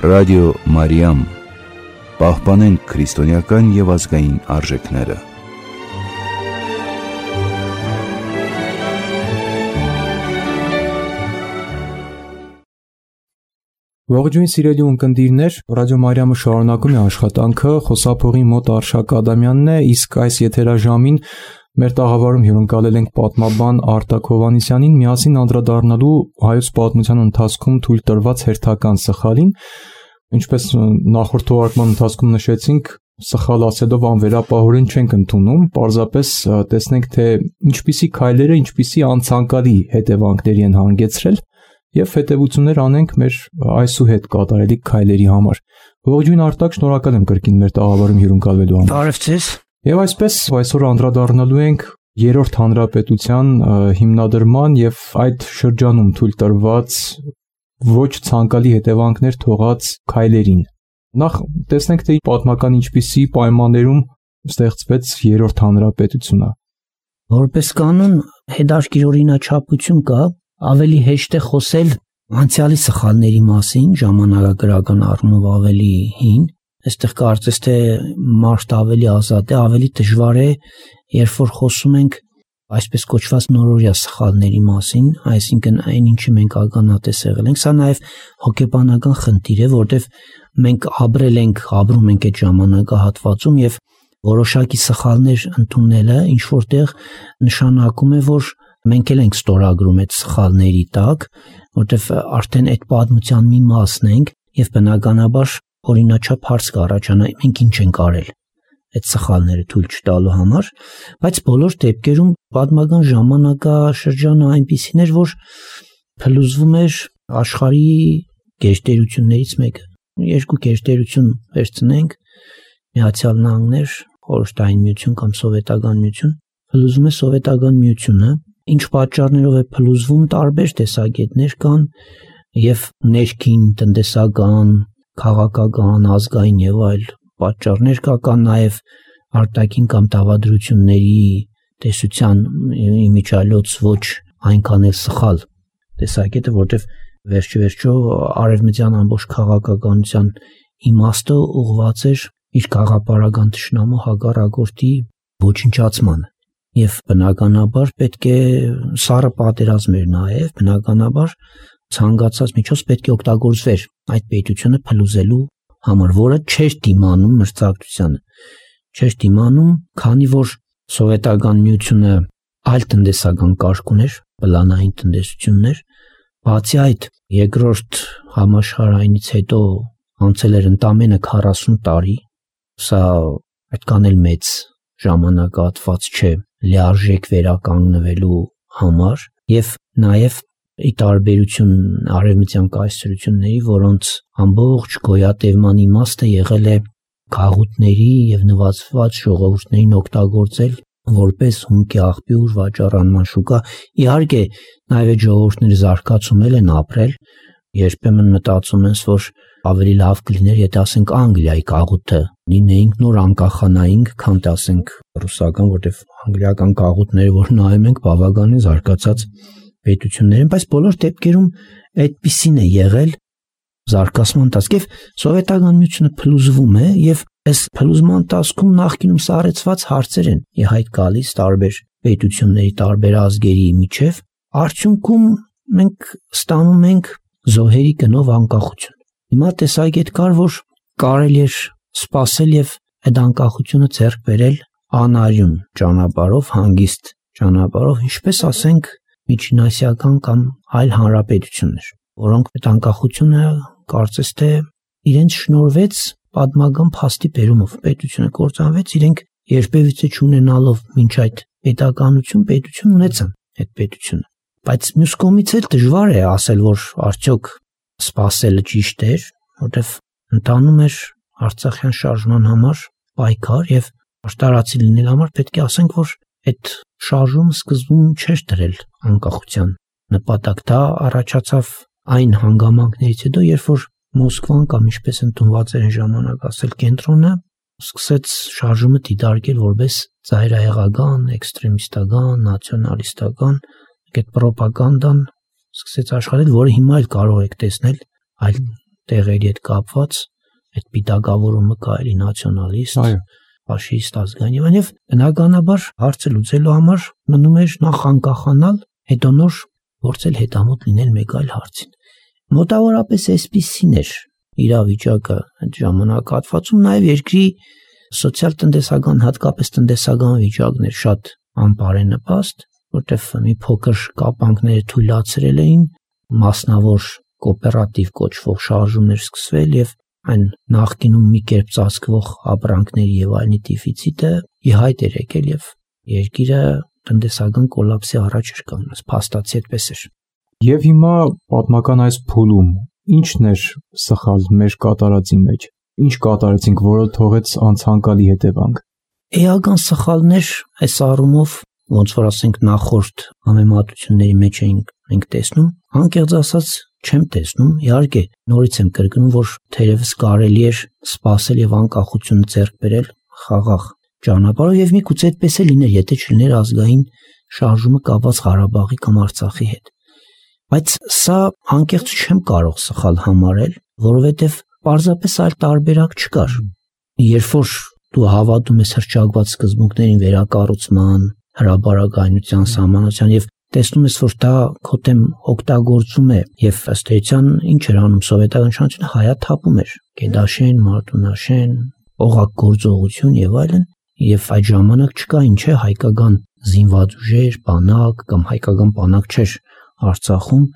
Ռադիո Մարիամ, պահպանենք քրիստոնեական և ազգային արժեքները։ Ողջույն սիրելի ունկնդիրներ, Ռադիո Մարիամը շարունակում է աշխատանքը, խոսափողի մոտ Արշակ Ադամյանն է, իսկ այս եթերաժամին մեր տաղավարում հյուրընկալել ենք պատմաբան Արտակ Հովհաննիսյանին, միասին անդրադառնալու հայոց պատմության ընթացքում թույլ տրված հերթական սխալին, ինչպես նախորդ թողարկման ընթացքում նշեցինք, սխալ ասելով անվերապահորեն չենք ընդունում, պարզապես տեսնենք, թե ինչպիսի քայլերը, ինչպիսի անցանկալի հետևանքների են հանգեցրել և հետևություններ անենք մեր այսուհետ կատարելիք քայլերի համար։ Ողջույն Արտակ, շնորհակալ եմ կրկին մեր տաղավարում հյուրընկալվելու համար։ Բարև ձեզ։ Եվ այսպես այսօր անդրադառնալու ենք Երրորդ հանրապետության հիմնադրման և այդ շրջանում թույլ տրված ոչ ցանկալի հետևանքներ թողած քայլերին։ Նախ տեսնենք, թե պատմական ինչպիսի պայմաններում ստեղծվեց Երրորդ հանրապետությունը։ Որպես կանոն հետաքրքիր օրինաչափություն կա, ավելի հեշտ է խոսել անցյալի սխալների մասին, ժամանակագրական առումով ավելի հին, այստեղ կարծես թե մարդ ավելի ազատ է, ավելի դժվար է, երբ որ խոսում ենք այսպես կոչված նորօրյա սխալների մասին, այսինքն այն ինչի մենք ականատես եղել ենք, սա նաև հոգեբանական խնդիր է, որտեղ մենք ապրում ենք այդ ժամանակահատվածում եւ որոշակի սխալներ ընդունելը ինչ որտեղ նշանակում է, որ մենք էլ ենք ստորագրում այդ սխալների տակ, որտեղ արդեն այդ պատմության մի մասն ենք եւ բնականաբար օրինաչափ հարց կառաջանա, մենք ինչ ենք արել այդ սխալները թույլ չտալու համար, բայց բոլոր դեպքերում պատմական ժամանակաշրջանը այնպիսին էր, որ փլուզվում էր աշխարհի գերտերություններից մեկը։ Երկու գերտերություն վերցնենք, Միացյալ Նահանգներ, Խորհրդային Միություն կամ Սովետական Միություն, փլուզվում է Սովետական Միությունը, ինչ պատճառներով է փլուզվում, տարբեր տեսակետներ կան եւ ներքին տնտեսական, քաղաքական, ազգային եւ այլ պատճառներ կան նաեւ արտաքին կամ դավադրությունների տեսության իմիջիալոց ոչ այնքան էլ սխալ տեսակետը, որտեղ վերջիվերջո արևմտյան ամբողջ քաղաքականության իմաստը ուղղված էր իր քաղաքապարական թշնամու հակառակորդի ոչնչացմանը եւ բնականաբար պետք է սառը պատերազմ էր նաեւ, բնականաբար ցանկացած միջոց պետք է օգտագործվեր այդ պետությունը փլուզելու համար, որը չէր դիմանում մրցակցությանը, չէր դիմանում, քանի որ Սովետական Միությունը այլ տնտեսական կարգ ուներ, պլանային տնտեսություններ, բացի այդ երկրորդ համաշխարհայինից հետո անցել էր ընդամենը 40 տարի, սա այդքան էլ մեծ ժամանակահատված չէ լիարժեք վերականգնվելու համար եւ նաեւ ի տարբերություն արևմտյան կայսրությունների, որոնց ամբողջ գոյատևման իմաստը եղել է քաղուտների եւ նվազված ժողովուրդներին օգտագործել որպես հումքի աղբյուր, վաճառանման շուկա։ Իհարկե նաեւ այդ ժողովուրդները զարգացումել են ապրել, երբեմն մտածում են, որ ավելի լավ կլիներ, եթե ասենք Անգլիայի կաղուտը լինեինք նոր անկախանայինք, քան ասենք ռուսական, որտեղ անգլիական կաղուտները, որ նայում ենք, բավականին զարգացած պետություններ են, բայց բոլոր դեպքերում այդպիսին է եղել զարգացման ընթացքում։ Սովետական Միությունը փլուզվում է եւ այս փլուզման ընթացքում նախկինում սառեցված հարցեր են ի հայտ գալիս տարբեր պետությունների, տարբեր ազգերի միջև։ Արդյունքում մենք ստանում ենք զոհերի գնով անկախություն։ Հիմա տեսակետ կար, որ կարելի էր սпасել եւ այդ անկախությունը ձեռք բերել անարյուն ճանապարհով, հանգիստ ճանապարհով, ինչպես ասենք միջինասիական կամ այլ հանրապետություններ, որոնք այդ անկախությունը կարծես թե իրենց շնորհվեց պատմական փաստի բերումով, պետությունը կործանվեց, իրենք երբևիցե չունենալով մինչ այդ պետություն ունեցան այդ պետությունը, բայց մյուս կողմից էլ դժվար է ասել, որ արդյոք սпасելը ճիշտ էր, որտեվ ընթանում էր Արցախյան շարժման համար պայքար եւ արտարացի լինել համար պետք է ասենք, որ այդ շարժումը սկզբում չէր դրել անկախության նպատակ, դա առաջացավ այն հանգամանքներից հետո, երբ որ Մոսկվան կամ ինչպես ընդունված էր այն ժամանակ ասել կենտրոնը, սկսեց շարժումը դիտարկել որպես ծայրահեղական, էքստրեմիստական, նացիոնալիստական, այդ պրոպագանդան սկսեց աշխատել, որը հիմա էլ կարող եք տեսնել այլ տեղերի հետ կապված, այդ պիտակավորումը կարելի նացիոնալիստ, ֆաշիստ, ազգային եւ բնականաբար հարցը լուծելու համար մնում էր նախ անկախանալ, հետո նոր փորձել հետամուտ լինել մեկ այլ հարցին։ Մոտավորապես այսպիսին էր իրավիճակը այդ ժամանակահատվածում, նաեւ երկրի սոցիալ-տնտեսական, հատկապես տնտեսական վիճակն էր շատ անբարենպաստ, որտեղ մի փոքր կապանքները թույլատրել էին մասնավոր կոոպերատիվ կոչվող շարժումներ սկսվել եւ այն նախկինում մի կերպ ծածկվող ապրանքների եւ այլնի դեֆիցիտը ի հայտ էր եկել եւ երկիրը տնտեսական կոլապսի առաջ էր կանգնած, փաստացի այդպես էր։ Եվ հիմա պատմական այս փուլում ի՞նչն էր սխալ մեր կատարածի մեջ։ Ինչ կատարեցինք, որը թողեց անցանկալի հետևանք։ Էական սխալներ այս առումով, ոնց որ ասենք նախորդ համեմատությունների մեջ ենք տեսնում, անկեղծ ասած չեմ տեսնում, իհարկե նորից եմ կրկնում, որ թերևս կարելի էր սпасել եւ անկախությունը ձեռք բերել խաղաղ ճանապարհով եւ միգուցե այդպես է լիներ, եթե չլիներ ազգային շարժումը կապված Ղարաբաղի կամ Արցախի հետ։ Բայց սա անկեղծ չեմ կարող սխալ համարել, որովհետեւ պարզապես այլ տարբերակ չկար։ Երբ որ դու հավատում ես հռչակված սկզբունքներին վերակառուցման, հրաբարակայնության, սահմանության եւ տեսնում ես, որ դա քո դեմ օգտագործում է եւ ըստ էության ինչ էր անում սովետական իշխանությունը, հայաթափում էր Գեդաշեն, Մարտունաշեն, օղակ գործողություն եւ այլն, եւ այդ ժամանակ չկային չէ հայկական զինված ուժեր, բանակ կամ հայկական բանակ չէր Արցախում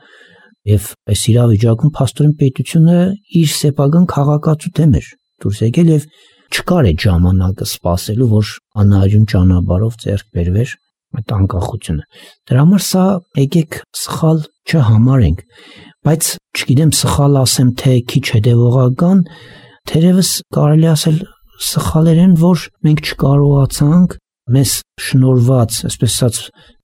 եւ այս իրավիճակում փաստորեն պետությունը իր սեփական քաղաքացու դեմ էր դուրս եկել եւ չկար այդ ժամանակը սпасելու, որ անհայրուն ճանապարհով ձեռք բերվեր այդ անկախությունը։ Դրա համար սա եկեք սխալ չհամարենք, բայց չգիտեմ սխալ ասեմ թե քիչ հետևողական, թերևս կարելի ասել սխալեր են, որ մենք չկարողացանք մեզ շնորհված, այսպես ասած,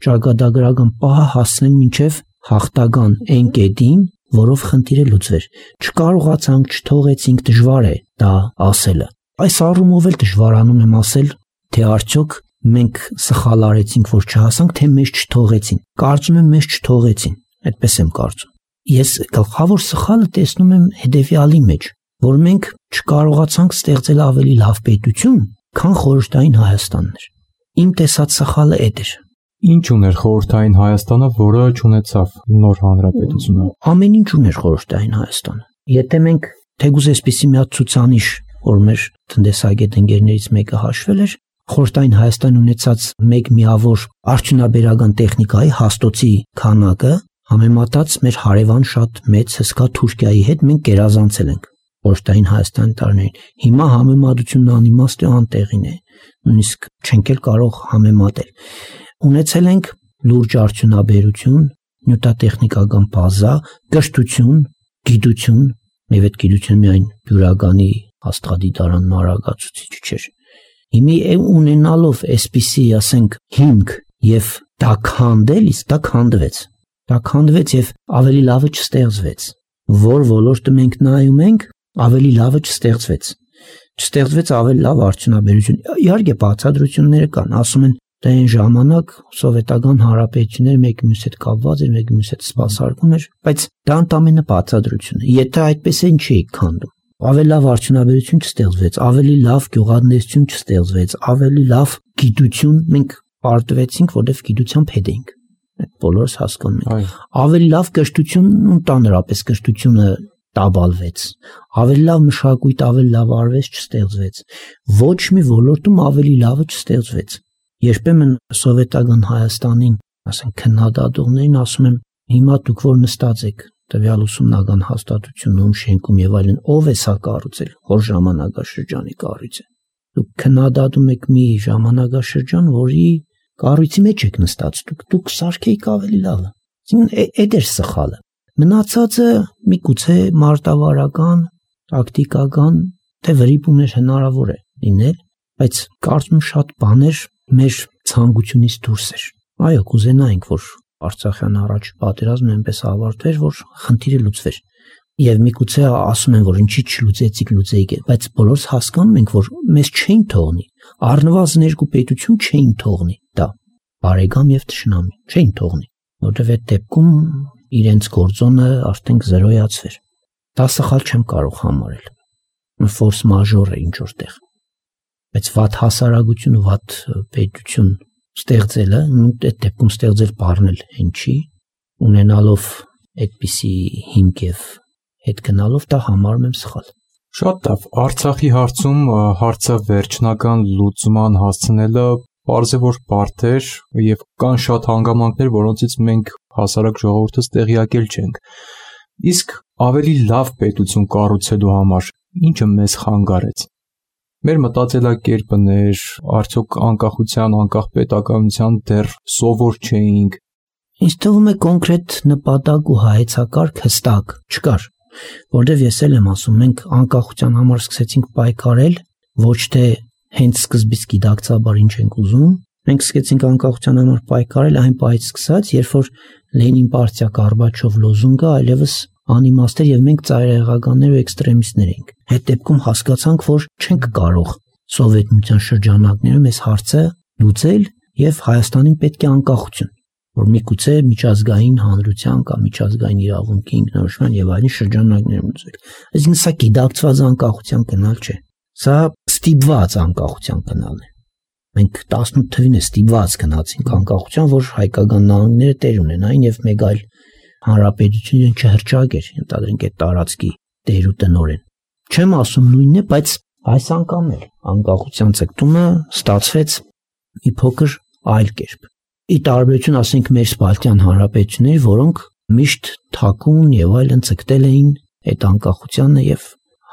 ճակատագրական պահը հասնել մինչև հաղթական այն կետին, որով խնդիրը լուծվեր։ Չկարողացանք, չթողեցինք, դժվար է դա ասելը։ Այս առումով էլ դժվարանում եմ ասել, թե արդյոք մենք սխալ արեցինք, որ չհասանք, թե մեզ չթողեցին։ Կարծում եմ մեզ չթողեցին, այդպես եմ կարծում։ Ես գլխավոր սխալը տեսնում եմ հետևյալի մեջ, որ մենք չկարողացանք ստեղծել ավելի լավ պետություն, քան խորհրդային Հայաստանն էր։ Իմ տեսած սխալը այդ էր։ Ինչ ուներ խորհրդային Հայաստանը, որը չունեցավ նոր հանրապետությունը։ Ամեն ինչ ուներ խորհրդային Հայաստանը։ Եթե մենք թեկուզ այսպիսի մի հատ ցուցանիշ, որ մեր տնտեսագետ ընկերներից մեկը հաշվել էր, խորհրդային Հայաստան ունեցած մեկ միավոր արդյունաբերական տեխնիկայի հաստոցի քանակը համեմատած մեր հարևան շատ մեծ հսկա Թուրքիայի հետ մենք գերազանցել ենք խորհրդային Հայաստանի տարիներին։ Հիմա համեմատությունն անիմաստ է, անտեղին է, նույնիսկ չենք էլ կարող համեմատել։ Ունեցել ենք լուրջ արդյունաբերություն, նյութատեխնիկական բազա, կրթություն, գիտություն, եւ այդ գիտությունը միայն բյուրականի աստղադիտարանն արագացուցիչ չէր։ Հիմա ունենալով այսպիսի, ասենք, հիմք եւ դա քանդել, իսկ դա քանդվեց։ Դա քանդվեց եւ ավելի լավը չստեղծվեց։ Որ ոլորտը մենք նայում ենք, ավելի լավը չստեղծվեց։ Չստեղծվեց ավելի լավ արդյունաբերություն։ Իհարկե բացատրությունները կան, ասում են դա այն ժամանակ սովետական հանրապետությունները մեկը մյուսի հետ կապված էր, մեկը մյուսի հետ սպասարկում էր, բայց դա ընդամենը բացատրություն է։ Եթե այդպես են չի քանդում։ Ավելի լավ արդյունաբերություն չստեղծվեց, ավելի լավ գյուղատնտեսություն չստեղծվեց, ավելի լավ գիտություն մենք պարտվեցինք, որովհետև գիտությամբ հետ էինք։ Այդ բոլորս հասկանում ենք։ Ավելի լավ կրթություն, ընդհանրապես կրթությունը տաբալվեց։ Ավելի լավ մշակույթ, ավելի լավ արվեստ չստեղծվեց։ Ոչ մի ոլորտում ավելի լավը չստեղծվեց։ Երբեմն սովետական Հայաստանին, ասենք, քննադատողներին ասում եմ, հիմա դուք որ նստած եք տվյալ ուսումնական հաստատությունում, շենքում եւ այլն, ով է սա կառուցել, որ ժամանակաշրջանի կառույց է։ Դուք քննադատում եք մի ժամանակաշրջան, որի կառույցի մեջ եք նստած, դուք սարքեիք ավելի լավը։ Այդ էր սխալը։ Մնացածը միգուցե մարտավարական, տակտիկական, թե վրիպումներ հնարավոր է լինել, բայց կարծում շատ բաներ մեր ցանկությունից դուրս էր։ Այո, կուզենայինք, որ Արցախյան առաջ պատերազմը այնպես ավարտվեր, որ խնդիրը լուծվեր։ Եվ միգուցե ասում են, որ ինչի չլուծեցիք, լուծեիք, բայց բոլորս հասկանում ենք, որ մեզ չէին թողնի։ Առնվազն երկու պետություն չէին թողնի դա։ Բարեկամ եւ թշնամի չէին թողնի, որովհետեւ այդ դեպքում իրենց գործոնը արդեն զրոյացվեր։ դա սխալ չեմ կարող համարել։ Ֆորս մաժոր է ինչ որտեղ։ Բայց վատ հասարակություն ու վատ պետություն ստեղծելը, այդ դեպքում ստեղծել բառնել հեն չի, ունենալով այդպիսի հիմք եւ հետ գնալով դա համարում եմ սխալ։ Շատ լավ, Արցախի հարցում հարցը վերջնական լուծման հասցնելը պարզ է որ բարդ էր եւ կան շատ հանգամանքներ, որոնցից մենք հասարակ ժողովուրդս տեղյակել չենք։ Իսկ ավելի լավ պետություն կառուցելու համար ինչը մեզ խանգարեց։ Մեր մտածելակերպներ, արդյոք անկախության, անկախ պետականության դեռ սովոր չէինք։ Ինձ թվում է կոնկրետ նպատակ ու հայեցակարգ հստակ չկար, որտեղ ես էլ եմ ասում, մենք անկախության համար սկսեցինք պայքարել, ոչ թե հենց սկզբից գիտակցաբար ինչ ենք ուզում, մենք սկսեցինք անկախության համար պայքարել այն պահից սկսած, երբ որ Լենին պարտիա Գորբաչով լոզունգը այլևս անիմաստ էր եւ մենք ծայրահեղականներ ու էքստրեմիստներ ենք։ Այդ դեպքում հասկացանք, որ չենք կարող Սովետ միության շրջանակներում այս հարցը լուծել եւ Հայաստանին պետք է անկախություն, որ միգուցե միջազգային հանրության կամ միջազգային իրավունքի ինքնորոշման եւ այլն շրջանակներում լուծել։ Այսինքն սա գիտակցված անկախության գնալ չէ։ Սա ստիպված անկախության գնալն է։ Մենք 18 թվին է ստիպված գնացինք անկախության, որ հայկական նահանգները տեր ունենային եւ մեկ այլ հանրապետություն չհրճագեր, ընդհանրենք այդ տարածքի տեր ու տնօրեն։ Չեմ ասում նույնն է, բայց այս անգամ էլ անկախության ցկտումը ստացվեց մի փոքր այլ կերպ։ Ի տարբերություն ասենք մեր Սպարտյան հանրապետությունների, որոնք միշտ թաքուն եւ այլն ցկտել էին այդ անկախությանը եւ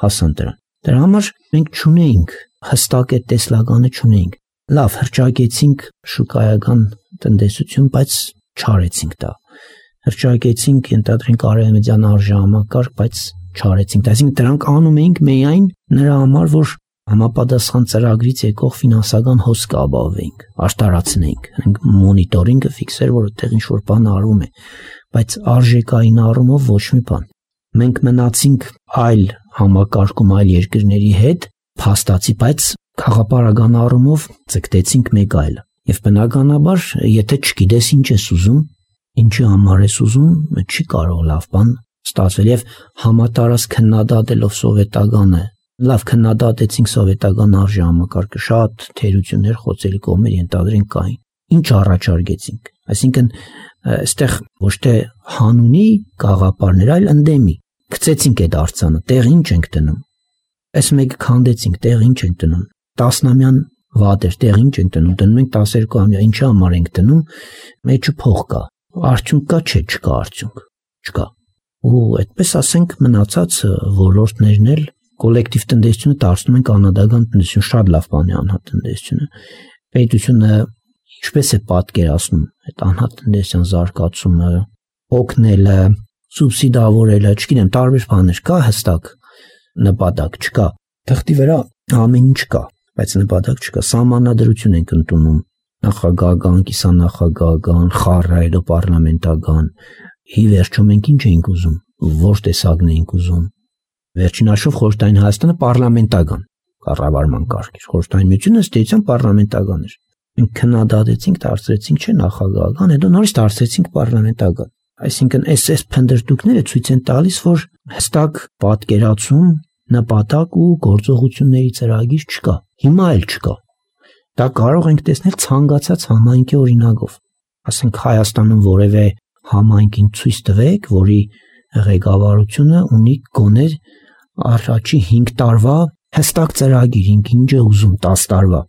հասան դրան։ Դրա համար մենք չունեինք հստակ այդ տեսլականը չունեինք։ Լավ, հրճագեցինք շուկայական տնտեսություն, բայց չարեցինք դա։ Հրճագեցինք ընդհանրենք արևմտյան արժեհամակարգ, բայց չարեցինք։ Այսինքն դրանք անում էինք միայն նրա համար, որ համապատասխան ծրագրից եկող ֆինանսական հոսք ապահովեինք, աշտարացնեինք, մոնիտորինգը ֆիքսեր, որ այդտեղ ինչ-որ բան արվում է, բայց արժեքային առումով ոչ մի բան։ Մենք մնացինք այլ համակարգում, այլ երկրների հետ, փաստացի, բայց խաղապարական առումով ցկտեցինք մեկ այլը։ Եվ բնականաբար, եթե չգիտես ինչ ես ուզում, ինչի համար ես ուզում, չի կարող լավ բան ստացվել եւ համատարած քննադատելով սովետականը, լավ քննադատեցինք սովետական արժեհամակարգը, շատ թերություններ, խոցելի կողմեր ընդհանրենք կային։ Ինչ առաջարկեցինք։ Այսինքն, այստեղ ոչ թե հանունի գաղափարներ, այլ ընդդեմի։ Գցեցինք այդ արձանը, տեղ ինչ ենք դնում։ Այս մեկը քանդեցինք, տեղ ինչ ենք դնում։ 10-ամյան վատեր, տեղ ինչ ենք դնում։ Դնում ենք 12-ամյա, ինչի համար ենք դնում։ Մեջը փող կա։ Արդյունք կա, չէ, չկա արդյունք։ Չկա։ Ու այդպես ասենք մնացած ոլորտներն էլ կոլեկտիվ տնտեսությունը դարձնում են կանադական տնտեսություն, շատ լավ բան է անհատ տնտեսությունը։ Պետությունը ինչպես է պատկերացնում այդ անհատ տնտեսության զարգացումը, օգնելը, սուբսիդավորելը, չգիտեմ, տարբեր բաներ կա հստակ նպատակ չկա։ Թղթի վրա ամեն ինչ կա, բայց նպատակ չկա։ Սահմանադրություն ենք ընդունում, նախագահական, կիսանախագահական, խառը, հետո պարլամենտական։ Ի վերջո մենք ինչ ենք ուզում, որ տեսակն ենք ուզում։ Վերջին հաշվով Խորհրդային Հայաստանը պարլամենտական կառավարման կարգ էր։ Խորհրդային Միությունը ըստ էության պարլամենտական էր։ Մենք քննադատեցինք, դարձրեցինք չէ նախագահական, հետո նորից դարձրեցինք պարլամենտական։ Այսինքն այս փնդրտուքները ցույց են տալիս, որ հստակ պատկերացում, նպատակ ու գործողությունների ծրագիր չկա։ Հիմա էլ չկա։ Դա կարող ենք տեսնել ցանկացած համայնքի օրինակով։ Ասենք Հայաստանում որևէ համայնքին ցույց տվեք, որի ղեկավարությունը ունի գոնե առաջի 5 տարվա հստակ ծրագիր, ինչ է ուզում 10 տարվա։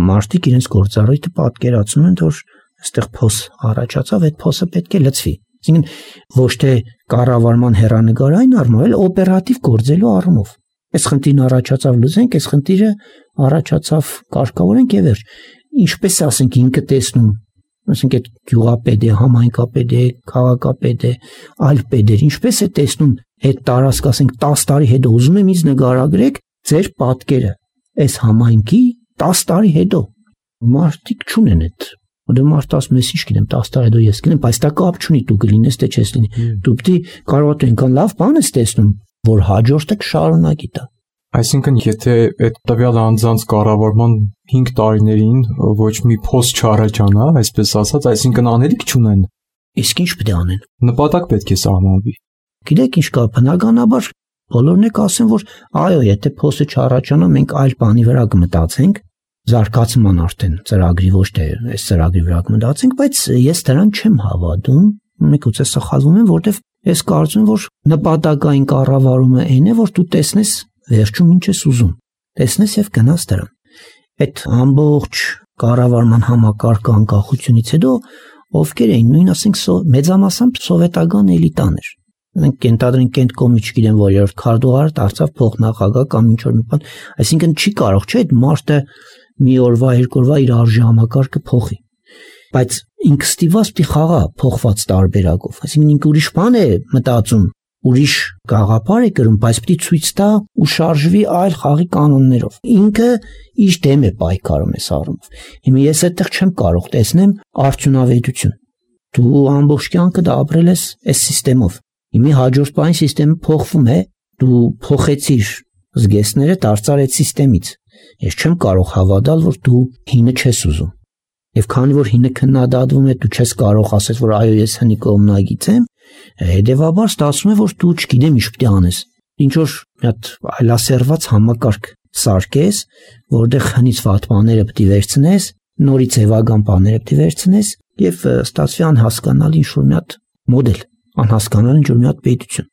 Մարդիկ իրենց գործառույթը պատկերացնում են, որ այստեղ փոս առաջացավ, այդ փոսը պետք է լցվի։ Այսինքն ոչ թե կառավարման հեռանկարային առումով, այլ օպերատիվ գործելու առումով։ Այս խնդիրն առաջացավ լուծենք, այս խնդիրը առաջացավ կարգավորենք եւ վերջ։ Ինչպես ասենք ինքը տեսնում, ասենք այդ գյուղապետ է, համայնքապետ է, քաղաքապետ է, այլ պետեր, ինչպես է տեսնում այդ տարածք, ասենք 10 տարի հետո ուզում եմ ինձ նկարագրեք ձեր պատկերը այս համայնքի 10 տարի հետո։ Մարդիկ չունեն այդ։ Որտեղ մարդ ասում է, ինչ գիտեմ, 10 տարի հետո ես գնեմ, բայց դա կապ չունի, դու կլինես թե չես լինի։ Դու պիտի կարող ես այնքան լավ բան ես տեսնում, որ հաջորդը կշարունակի դա։ Այսինքն, եթե այդ տվյալ անձանց կառավարման 5 տարիներին ոչ մի փոս չառաջանա, այսպես ասած, այսինքն անելիք չունեն։ Իսկ ինչ պետք է անեն։ Նպատակ պետք է սահմանվի։ Գիտեք ինչ կա, բնականաբար բոլորն եք ասեն, որ այո, եթե փոստը չառաջանա, մենք այլ բանի վրա կմտածենք, զարգացման արդեն ծրագրի ոչ թե այս ծրագրի վրա կմտածենք, բայց ես դրան չեմ հավատում, միգուցե սխալվում եմ, որովհետև ես կարծում եմ, որ նպատակային կառավարումը այն է, որ դու տեսնես վերջում ինչ ես ուզում, տեսնես եւ գնաս դրան։ Այդ ամբողջ կառավարման համակարգը անկախությունից հետո ովքեր էին, նույն ասենք մեծամասամբ սովետական էլիտան էր։ Մենք կենտրոնենք կենտկոմի, չգիտեմ որերորդ քարտուղար դարձավ փոխնախագահ կամ ինչ որ մի բան, այսինքն չի կարող, չէ՞, այդ մարդը մի օրվա, երկու օրվա իր արժի համակարգը փոխի։ Բայց ինքը ստիպված պիտի խաղա փոխված տարբերակով, այսինքն ինքը ուրիշ բան է մտածում, ուրիշ գաղափար է կրում, բայց պիտի ցույց տա ու շարժվի այլ խաղի կանոններով։ Ինքը իր դեմ է պայքարում այս առումով։ Հիմա ես այդտեղ չեմ կարող տեսնեմ արդյունավետություն։ Դու ամբողջ կյանքդ ապրել ես այս համակարգով։ Հիմա հաջորդ բանի համակարգը փոխվում է, դու փոխեցիր զգեստները, դարձար այդ համակարգից։ Ես չեմ կարող հավատալ, որ դու հինը չես ուզում։ Եվ քանի որ հինը քննադատվում է, դու չես կարող ասել, որ այո, ես հնի կողմնակից եմ, հետևաբար ստացվում է, որ դու չգիտեմ ինչ պիտի անես։ Ինչ որ մի հատ այլասերված համակարգ սարքես, որտեղ հնից վատ բաները պիտի վերցնես, նորից էվագան բաները պիտի վերցնես եւ ստացվի անհասկանալի ինչ որ մի հատ մոդել, անհասկանալի ինչ որ մի հատ պետություն։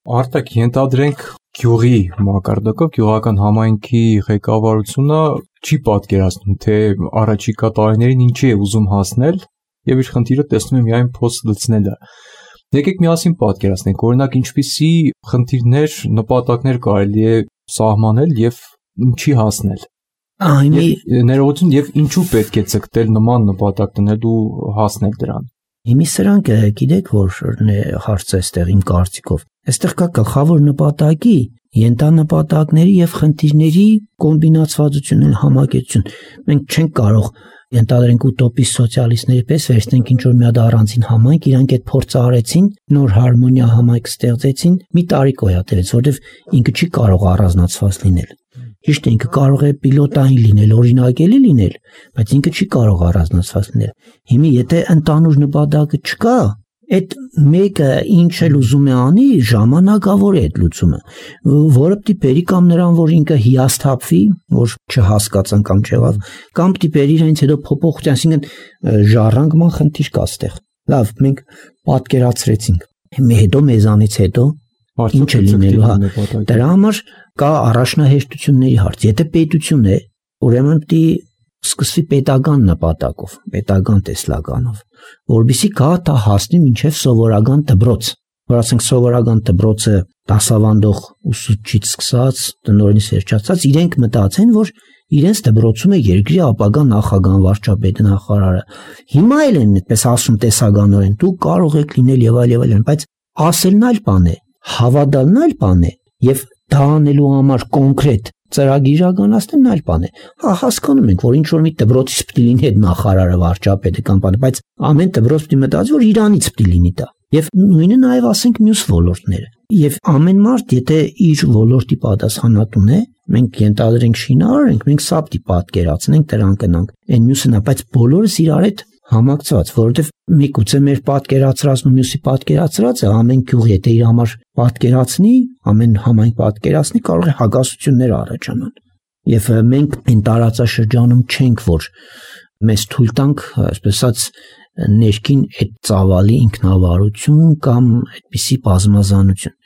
Արտակ, ենթադրենք գյուղի մակարդակով գյուղական համայնքի ղեկավարությունը չի պատկերացնում, թե առաջիկա տարիներին ինչի է ուզում հասնել եւ իր խնդիրը տեսնում է միայն փոստ լցնելը։ Եկեք միասին պատկերացնենք, օրինակ ինչպիսի խնդիրներ, նպատակներ կարելի է սահմանել եւ ինչի հասնել։ Ներողություն, եւ ինչու պետք է ցկտել նման նպատակ տնելու հասնել դրան։ Հիմի սրանք գիտեք որ հարցը այստեղ իմ կարծիքով։ Այստեղ կա գլխավոր նպատակի, ենթանպատակների եւ խնդիրների կոմբինացվածություն, համակեցություն։ Մենք չենք կարող ենթադրենք ուտոպիստ սոցիալիստների պես վերցնենք ինչ որ մի հատ առանձին համայնք, իրանք այդ փորձը արեցին, նոր հարմոնիա համայնք ստեղծեցին, մի տարի կոյատևեց, որովհետեւ ինքը չի կարող առանձնացված լինել։ Ճիշտ է, ինքը կարող է պիլոտային լինել, օրինակելի լինել, բայց ինքը չի կարող առանձնացված լինել։ Հիմա եթե ընդհանուր նպատակը չկա, այդ մեկը ինչ էլ ուզում է անի, ժամանակավոր է այդ լուծումը, որը պիտի բերի կամ նրան, որ ինքը հիասթափվի, որ չհասկացան կամ չեղավ, կամ պիտի բերի իրենց հետո փոփոխություն, այսինքն ժառանգման խնդիր կա այստեղ։ Լավ, մենք պատկերացրեցինք։ Հետո մեզանից հետո ինչ է լինելու, հա։ Դրա համար կա առաջնահերթությունների հարց։ Եթե պետություն է, ուրեմն պիտի սկսվի պետական նպատակով, պետական տեսլականով, որբիսի կա դա հասնի մինչև սովորական դպրոց, որ ասենք սովորական դպրոցը դասավանդող ուսուցչից սկսած, տնօրենից վերջացած, իրենք մտածեն, որ իրենց դպրոցում է երկրի ապագա նախագահան, վարչապետը, նախարարը։ Հիմա էլ են այդպես ասում տեսականորեն, դու կարող եք լինել եւ այլն, բայց ասելն այլ բան է, հավատալն այլ բան է, եւ դա անելու համար կոնկրետ ծրագիր իրականացնելն այլ բան է։ Հա, հասկանում ենք, որ ինչ որ մի դպրոցից պիտի լինի այդ նախարարը, վարչապետը կամ բանը, բայց ամեն դպրոց պիտի մտածի, որ իրանից պիտի լինի դա։ Եվ նույնը նաև ասենք մյուս ոլորտները։ Եվ ամեն մարդ, եթե իր ոլորտի պատասխանատուն է, մենք ենթադրենք շինարար ենք, մենք սա պիտի պատկերացնենք, դրան կնանք։ Այն մյուսն է, բայց բոլորս իրար հետ համակցված, որովհետև միգուցե մեր պատկերացրածն ու մյուսի պատկերացրածը ամեն գյուղ եթե իր համար պատկերացնի, ամեն համայնք պատկերացնի, կարող է հակասություններ առաջանան։ Եվ մենք այն տարածաշրջանում չենք, որ մեզ թույլ տանք, այսպես ասած, ներքին այդ ծավալի ինքնավարություն կամ այդպիսի բազմազանություն։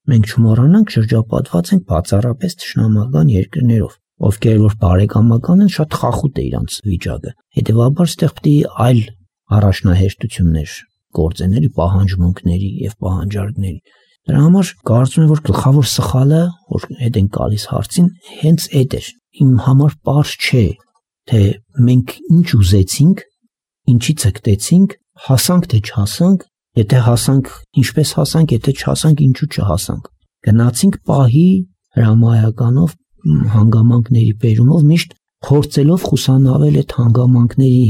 Մենք չմոռանանք շրջապատված ենք բացառապես թշնամական երկրներով, ովքեր որ բարեկամական են, շատ խախուտ է իրանց վիճակը։ Հետևաբար ստեղ պիտի այլ առաջնահերթություններ գործեների, պահանջմունքների եւ պահանջարկների։ Դրա համար կարծում եմ, որ գլխավոր սխալը, որ հետ են գալիս հարցին, հենց այդ էր։ Իմ համար պարզ չէ, թե մենք ինչ ուզեցինք, ինչի ցկտեցինք, հասանք թե չհասանք, եթե հասանք, ինչպես հասանք, եթե չհասանք, ինչու չհասանք։ Գնացինք պահի հրամայականով, հանգամանքների բերումով, միշտ փորձելով խուսանավել այդ հանգամանքների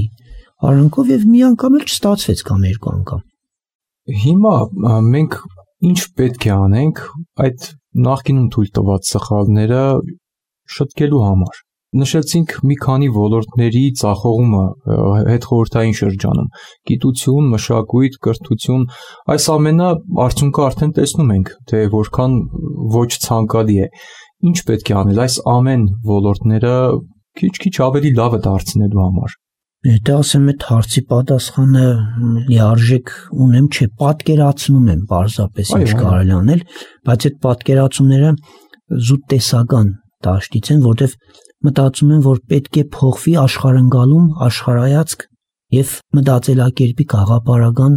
արանքով եւ մի անգամ էլ չստացվեց կամ երկու անգամ։ Հիմա մենք ինչ պետք է անենք այդ նախկինում թույլ տված սխալները շտկելու համար։ Նշեցինք մի քանի ոլորտների ծախողումը հետխորհրդային շրջանում՝ գիտություն, մշակույթ, կրթություն, այս ամենը արդյունքը արդեն տեսնում ենք, թե որքան ոչ ցանկալի է։ Ինչ պետք է անել այս ամեն ոլորտները քիչ-քիչ ավելի լավը դարձնելու համար։ Եթե ասեմ այդ հարցի պատասխանը լիարժեք ունեմ, չէ, պատկերացնում եմ պարզապես ինչ կարելի անել, բայց այդ պատկերացումները զուտ տեսական դաշտից են, որտեղ մտածում եմ, որ պետք է փոխվի աշխարհընկալում, աշխարհայացք եւ մտածելակերպի գաղափարական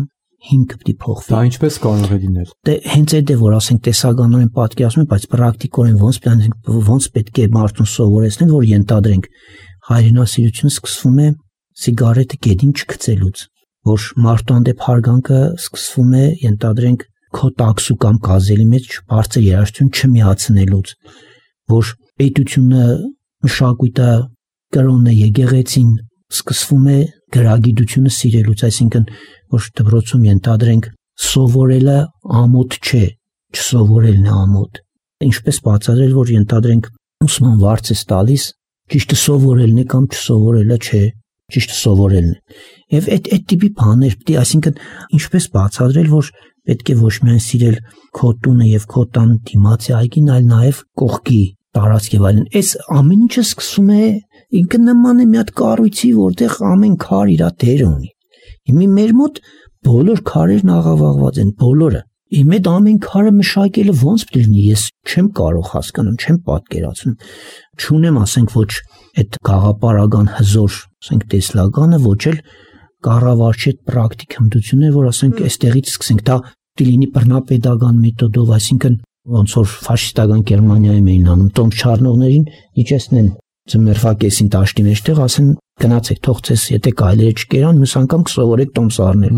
հիմքը պետք է փոխվի։ Դա ինչպես կարող է լինել։ Դե հենց այդ է, որ ասենք տեսականորեն պատկերացնում եմ, բայց պրակտիկորեն ոնց պետք է մարդուն սովորեցնել, որ ենթադրենք հայրենասիրությունը սկսվում է սիգարետը գետին չգցելուց, որ մարդու հանդեպ հարգանքը սկսվում է ենթադրենք քո տաքսու կամ գազելի մեջ բարձր երաժշտություն չմիացնելուց, որ պետությունը, մշակույթը, կրոնը, եկեղեցին սկսվում է գրագիտությունը սիրելուց, այսինքն որ դպրոցում ենթադրենք սովորելը ամոթ չէ, չսովորելն է ամոթ։ Ինչպես բացատրել, որ ենթադրենք ուսման վարձ է տալիս, ճիշտը սովորելն է կամ չսովորելը չէ, ճիշտը սովորելն է։ Եվ այդ տիպի բաներ պետք է, այսինքն ինչպես բացատրել, որ պետք է ոչ միայն սիրել քո տունը եւ քո տան դիմացի այգին, այլ նաեւ կողքի տարածք եւ այլն։ Այս ամեն ինչը սկսում է ինքը նման է մի հատ կառույցի, որտեղ ամեն քար իր դերը ունի։ Հիմա մեր մոտ բոլոր քարերն աղավաղված են, բոլորը։ Իմ այդ ամեն քարը մշակելը ոնց պետք է լինի, ես չեմ կարող հասկանում, չեմ պատկերացնում։ Չունեմ, ասենք, ոչ այդ գաղափարական հզոր, ասենք, տեսլականը, ոչ էլ կառավարչի այդ պրակտիկ հմտությունը, որ ասենք, այստեղից սկսենք, դա պետք է լինի բռնապետական մեթոդով, այսինքն ոնց որ ֆաշիստական Գերմանիայում էին անում, տոմս չառնողներին իջեցնեն ձմեռվա կեսին տաշտի մեջտեղ, ասեն գնացեք, թող ձեզ եթե գայլերը չկերան, մյուս անգամ կսովորեք տոմս առնել։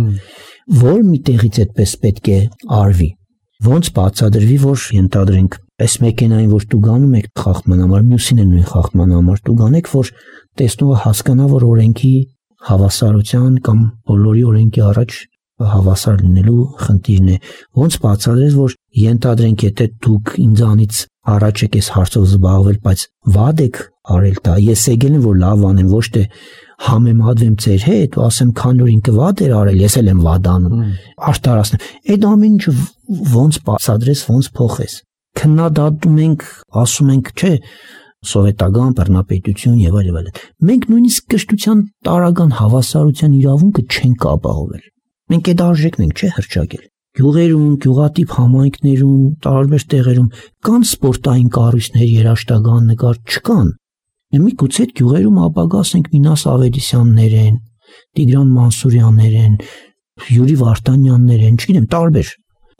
Որ մի տեղից այդպես պետք է արվի։ Ոնց բացատրվի, որ ենթադրենք այս մեքենային, որ դու գանում եք խախտման համար, մյուսին է նույն խախտման համար դու գանեք, որ տեսնողը հասկանա, որ օրենքի հավասարության կամ բոլորի օրենքի առաջ հավասար լինելու խնդիրն է։ Ոնց բացատրես, որ ենթադրենք եթե դուք ինձանից առաջ եք այս հարցով զբաղվել, բայց վատ եք արել դա, ես եկել եմ որ լավ անեմ, ոչ թե համեմատվեմ ձեր հետ ու ասեմ քան որ ինքը վատ էր արել, ես էլ եմ վատ անում, արտարացնեմ։ Այդ ամեն ինչը ոնց բացատրես, ոնց փոխես։ Քննադատում ենք, ասում ենք, չէ, սովետական բռնապետություն եւ այլն։ Մենք նույնիսկ կրթության տարական հավասարության իրավունքը չենք ապահովել։ Մենք այդ արժեքն ենք, չէ, հրճակել։ Գյուղերում, գյուղատիպ համայնքներում, տարբեր տեղերում կան սպորտային կառույցներ, երաժշտական նկար չկան։ Միգուցե այդ գյուղերում ապագա ասենք Մինաս Ավետիսյաններ են, Տիգրան Մանսուրյաններ են, Յուրի Վարդանյաններ են, չգիտեմ, տարբեր,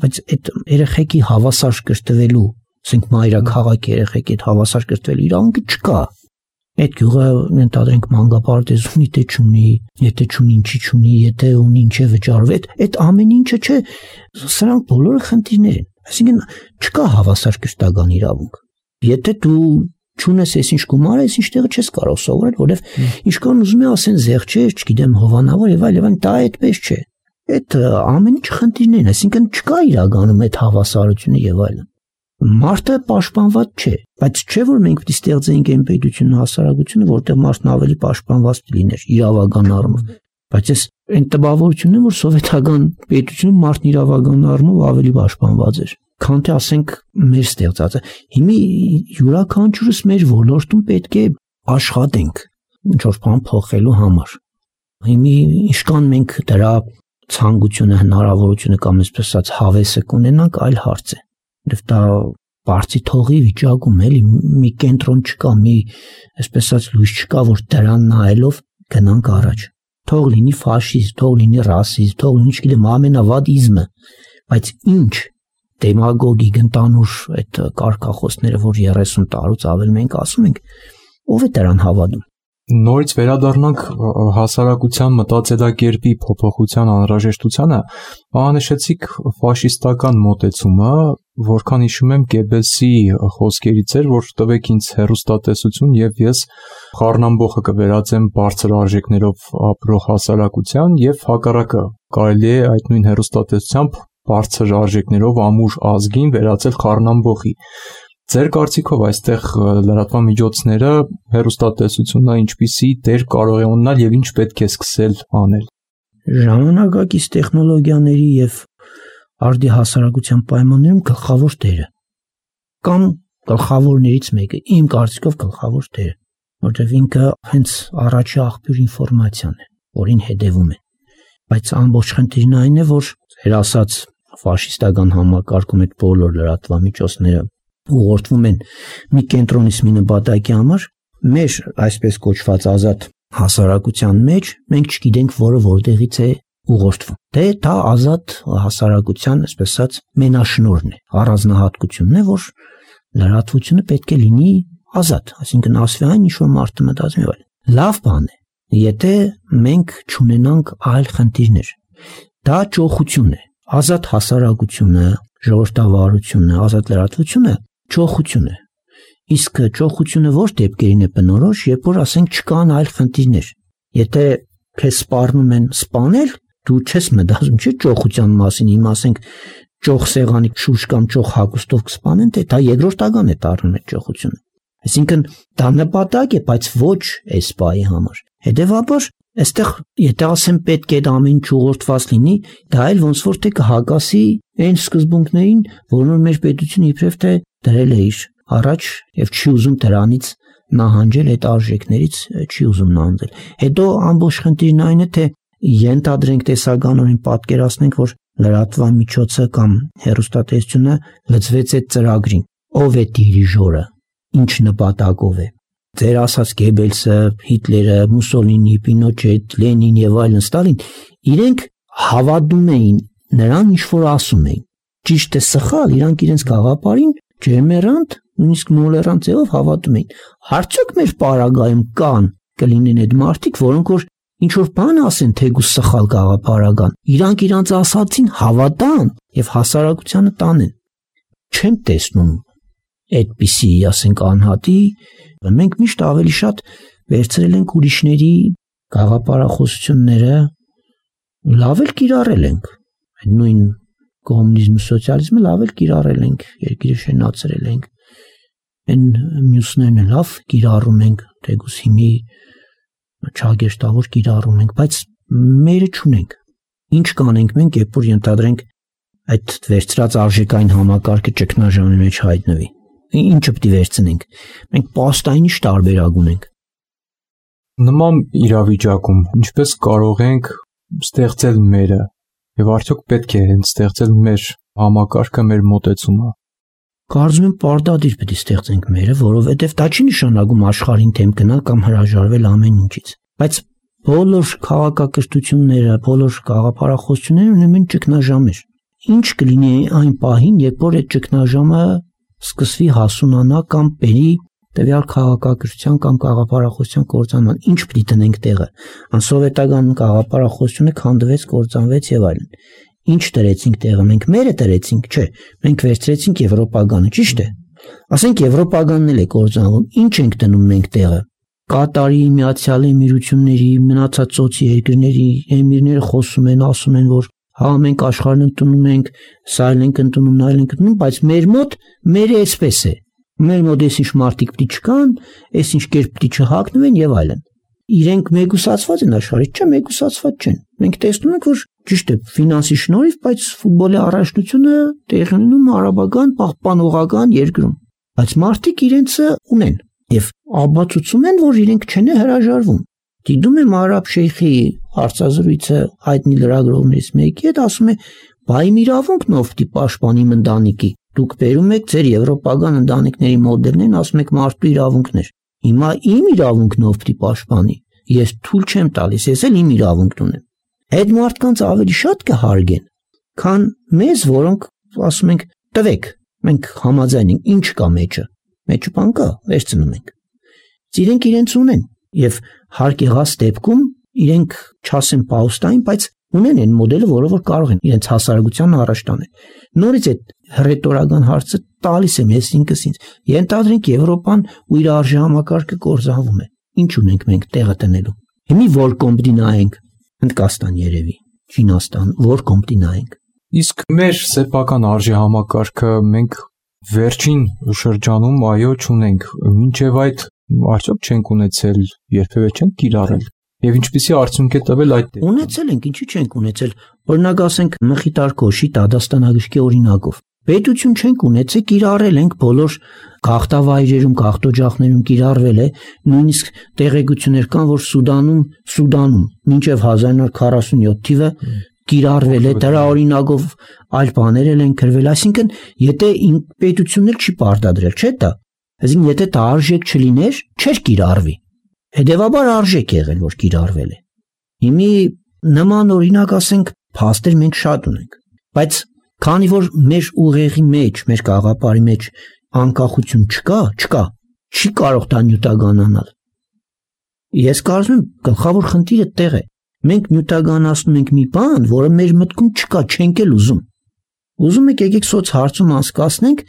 բայց այդ երեխեքի հավասար կրթվելու, ասենք մայրաքաղաք երեխեքի այդ հավասար կրթվելու իրավունքը չկա։ Այդ գյուղը ենթադրենք մանկապարտեզ ունի, թե չունի, եթե չունի, ինչի չունի, եթե ունի, ինչ է վճարվում, այդ ամեն ինչը չէ, սրանք բոլորը խնդիրներ են։ Այսինքն չկա հավասար կրթական իրավունք։ Եթե դու չունես այսինչ գումար, այսինչ տեղը չես կարող սովորել, որովհետև ինչքան ուզում է ասեն զեղչեր, չգիտեմ, հովանավոր եւ այլն, դա այդպես չէ։ Այդ ամեն ինչ խնդիրներ են, այսինքն չկա իրականում այդ հավասարությունը եւ այլն։ Մարդը պաշտպանված չէ, բայց չէ որ մենք պետք է ստեղծենք այն պետությունը, հասարակությունը, որտեղ մարդն ավելի պաշտպանված լիներ իրավական առումով։ Բայց այս այն տպավորությունն է, որ սովետական պետությունում մարդն իրավական առումով ավելի պաշտպանված էր, քան թե ասենք մեր ստեղծածը։ Հիմա յուրաքանչյուրս մեր ոլորտում պետք է աշխատենք ինչ որ բան փոխելու համար։ Հիմա ինչքան մենք դրա ցանկությունը, հնարավորությունը կամ այսպես ասած հավեսը կունենանք, այլ հարց է։ Եվ դա բարձի թողի վիճակում էլի մի կենտրոն չկա, մի այսպես ասած լույս չկա, որ դրան նայելով գնանք առաջ։ Թող լինի ֆաշիզմ, թող լինի ռասիզմ, թող լինի չգիտեմ ամենավատ իզմը, բայց ինչ դեմագոգիկ ընտանուր այդ կարգախոսները, որ 30 տարուց ավել մենք ասում ենք, ով է դրան հավատում։ Նորից վերադառնանք հասարակության մտածելակերպի փոփոխության անհրաժեշտությանը, նշեցիք ֆաշիստական մոտեցումը, որքան հիշում եմ Գեբելսի խոսքերից էր, որ տվեք ինձ հեռուստատեսություն եւ ես խառնամբոխը կվերածեմ բարձր արժեքներով ապրող հասարակության եւ հակառակը կարելի է այդ նույն հեռուստատեսությամբ բարձր արժեքներով ամուր ազգին վերածել խառնամբոխի։ Ձեր կարծիքով այստեղ լրատվական միջոցները հեռուստատեսությունը ինչպիսի դեր կարող է ունենալ եւ ինչ պետք է սկսել անել։ Ժամանակակից տեխնոլոգիաների եւ արդի հասարակության պայմաններում գլխավոր դերը կամ գլխավորներից մեկը, իմ կարծիքով գլխավոր դերը, որտեղ ինքը հենց առաջի աղբյուր ինֆորմացիան է, որին հետևում է։ Բայց ամբողջ խնդիրն այն է, որ ձեր ասած ֆաշիստական համակարգում այդ բոլոր լրատվամիջոցները ուղղորդվում են մի կենտրոնից մի նպատակի համար, մեր այսպես կոչված ազատ հասարակության մեջ մենք չգիտենք, որը որտեղից է ուղղորդվում։ Դե դա ազատ հասարակության, այսպես ասած, մենաշնորհն է, առանձնահատկությունն է, որ լրատվությունը պետք է լինի ազատ, այսինքն ասվի այն, ինչ որ մարդը մտածում է։ Լավ բան է, եթե մենք չունենանք այլ խնդիրներ։ Դա ճոխություն է, ազատ հասարակությունը, ժողովրդավարությունը, ազատ լրատվությունը ճոխություն է։ Իսկ ճոխությունը որ դեպքերին է բնորոշ, երբ որ ասենք չկան այլ խնդիրներ։ Եթե քեզ սպառնում են սպանել, դու չես մտածում չէ ճոխության մասին, իմ ասենք ճոխ սեղանի շուրջ կամ ճոխ հագուստով կսպանեն, թե դա երկրորդական է դառնում այդ ճոխությունը։ Այսինքն դա նպատակ է, բայց ոչ էսպայի համար։ Հետևաբար, այստեղ եթե ասեմ պետք է դա ամեն ինչ ուղղորդված լինի, դա էլ ոնց որ թե կհակասի այն սկզբունքներին, որոնց մեր պետությունը իբրև թե դրել է իր առաջ եւ չի ուզում դրանից նահանջել, այդ արժեքներից չի ուզում նահանջել։ Հետո ամբողջ խնդիրն այն է, թե ենթադրենք տեսականորեն պատկերացնենք, որ լրատվամիջոցը կամ հեռուստատեսությունը լծվեց այդ ծրագրին։ Ով է դիրիժորը, ինչ նպատակով է։ Ձեր ասած Գեբելսը, Հիտլերը, Մուսոլինի, Պինոչետ, Լենին եւ այլն, Ստալին, իրենք հավատում էին նրան, ինչ որ ասում էին։ Ճիշտ է, սխալ, իրանք իրենց գաղափարին ջերմերանտ, նույնիսկ նոլերանտ ձևով հավատում էին։ Արդյոք մեր պարագայում կան կլինեն այդ մարդիկ, որոնք որ ինչ որ բան ասեն, թեկուզ սխալ գաղափարական, իրանք իրանց ասածին հավատան եւ հասարակությանը տանեն։ Չեմ տեսնում այդպիսի, ասենք, անհատի, մենք միշտ ավելի շատ վերցրել ենք ուրիշների գաղափարախոսությունները, լավ էլ կիրառել ենք, այդ նույն կոմունիզմը, սոցիալիզմը լավ էլ կիրառել ենք, երկիրը շենացրել ենք, այն մյուսներն լավ կիրառում ենք, թեկուզ հիմի չագեշտավոր կիրառում ենք, բայց մերը չունենք։ Ինչ կանենք մենք, երբ որ ենթադրենք այդ վերցրած արժեքային համակարգը ճգնաժամի մեջ հայտնվի։ Ինչը պիտի վերցնենք։ Մենք պաստայինի տարբերակ ունենք։ Նման իրավիճակում ինչպես կարող ենք ստեղծել մերը եւ արդյոք պետք է հենց ստեղծել մեր համակարգը, մեր մոտեցումը։ Կարծում եմ պարտադիր պիտի ստեղծենք մերը, որովհետև դա չի նշանակում աշխարհին թեմ գնալ կամ հրաժարվել ամեն ինչից, բայց բոլոր քաղաքակրթությունները, բոլոր գաղափարախոսությունները ունեն են ճգնաժամեր։ Ինչ կլինի այն պահին, երբ որ այդ ճգնաժամը սկսվի հասունանա կամ բերի տվյալ քաղաքակրթության կամ գաղափարախոսության կործանման, ինչ պիտի տնենք տեղը։ Անսովետական գաղափարախոսությունը քանդվեց, կործանվեց եւ այլն։ Ինչ դրեցինք տեղը, մենք մերը դրեցինք, չէ, մենք վերցրեցինք եվրոպագանը, ճիշտ է։ Ասենք եվրոպագանն էլ է կործանվում, ինչ ենք դնում մենք տեղը։ Կատարի, Միացյալ Էմիրությունների, մնացած ծոցի երկրների էմիրները խոսում են, ասում են, որ հա մենք աշխարհն ընդունում ենք, սա էլ ենք ընդունում, նա էլ ենք ընդունում, բայց մեր մոտ մերը էսպես է։ Մեր մոտ էս ինչ մարդիկ պիտի չկան, էս ինչ կերպ պիտի չհագնվեն եւ այլն։ Իրենք մեգուսացված են աշխարհից, չէ, մեգուսացված չեն։ Մենք տեսնում ենք, որ ճիշտ է, ֆինանսի շնորհիվ, բայց ֆուտբոլի առաջնությունը տեղի ունենում արաբական պահպանողական երկրում։ Բայց մարդիկ իրենցը ունեն եւ ապացուցում են, որ իրենք չեն հրաժարվում։ Դիտում եմ արաբ շեյխի հարցազրույցը հայտնի լրագրողներից մեկի հետ, ասում է՝ «Բայ իմ իրավունքն ով պիտի պաշտպանի իմ ընտանիքի։ Դուք բերում եք ձեր եվրոպական ընտանիքների մոդելներն, ասում եք մարդու իրավունքներ։ Հիմա իմ իրավունքն ով պիտի պաշտպանի։ Ես թույլ չեմ տալիս, ես էլ իմ իրավունքն ունեմ»։ Այդ մարդկանց ավելի շատ կհարգեն, քան մեզ, որոնք ասում ենք՝ «Տվեք, մենք համաձայն ենք, ինչ կա մեջը։ Մեջը բան կա, վերցնում ենք»։ Իրենք իրենց ունեն եւ հարկ եղած դեպքում իրենք չասեն պաուստային, բայց ունեն այն մոդելը, որը որ կարող են իրենց հասարակության առաջ տանել։ Նորից այդ ռետորական հարցը տալիս եմ ես ինքս ինձ։ Ենթադրենք Եվրոպան ու իր արժե համակարգը կործանվում է։ Ինչ ունենք մենք տեղը տնելու։ Հիմի որ կոմպտի նայենք, Հնդկաստան երևի, Չինաստան, որ կոմպտի նայենք։ Իսկ մեր սեփական արժե համակարգը մենք վերջին շրջանում այո չունենք, մինչև այդ արդյոք չենք ունեցել, երբևէ չենք կիրառել։ Եվ ինչպիսի արդյունք է տվել այդ դեպքում։ Ունեցել ենք, ինչի չենք ունեցել։ Օրինակ ասենք Մխիթար Քոշի Դադաստանագրքի օրինակով։ Պետություն չենք ունեցել, կիրառել ենք բոլոր գաղթավայրերում, գաղթօջախներում կիրառվել է, նույնիսկ տեղեկություններ կան, որ Սուդանում մինչև 1947 թիվը կիրառվել է, դրա օրինակով այլ բաներ են գրվել, այսինքն եթե պետությունն էլ չի պարտադրել, չէ՞ դա։ Այսինքն եթե դա արժեք չլիներ, չէր կիրառվի։ Հետևաբար արժեք եղել, որ կիրառվել է։ Հիմի նման օրինակ ասենք փաստեր մենք շատ ունենք, բայց քանի որ մեր ուղեղի մեջ, մեր գաղափարի մեջ անկախություն չկա, չի կարող դա նյութականանալ։ Ես կարծում եմ գլխավոր խնդիրը տեղ է։ Մենք նյութականացնում ենք մի բան, որը մեր մտքում չկա, չենք էլ ուզում։ Ուզում եք եկեք սոց հարցում անցկացնենք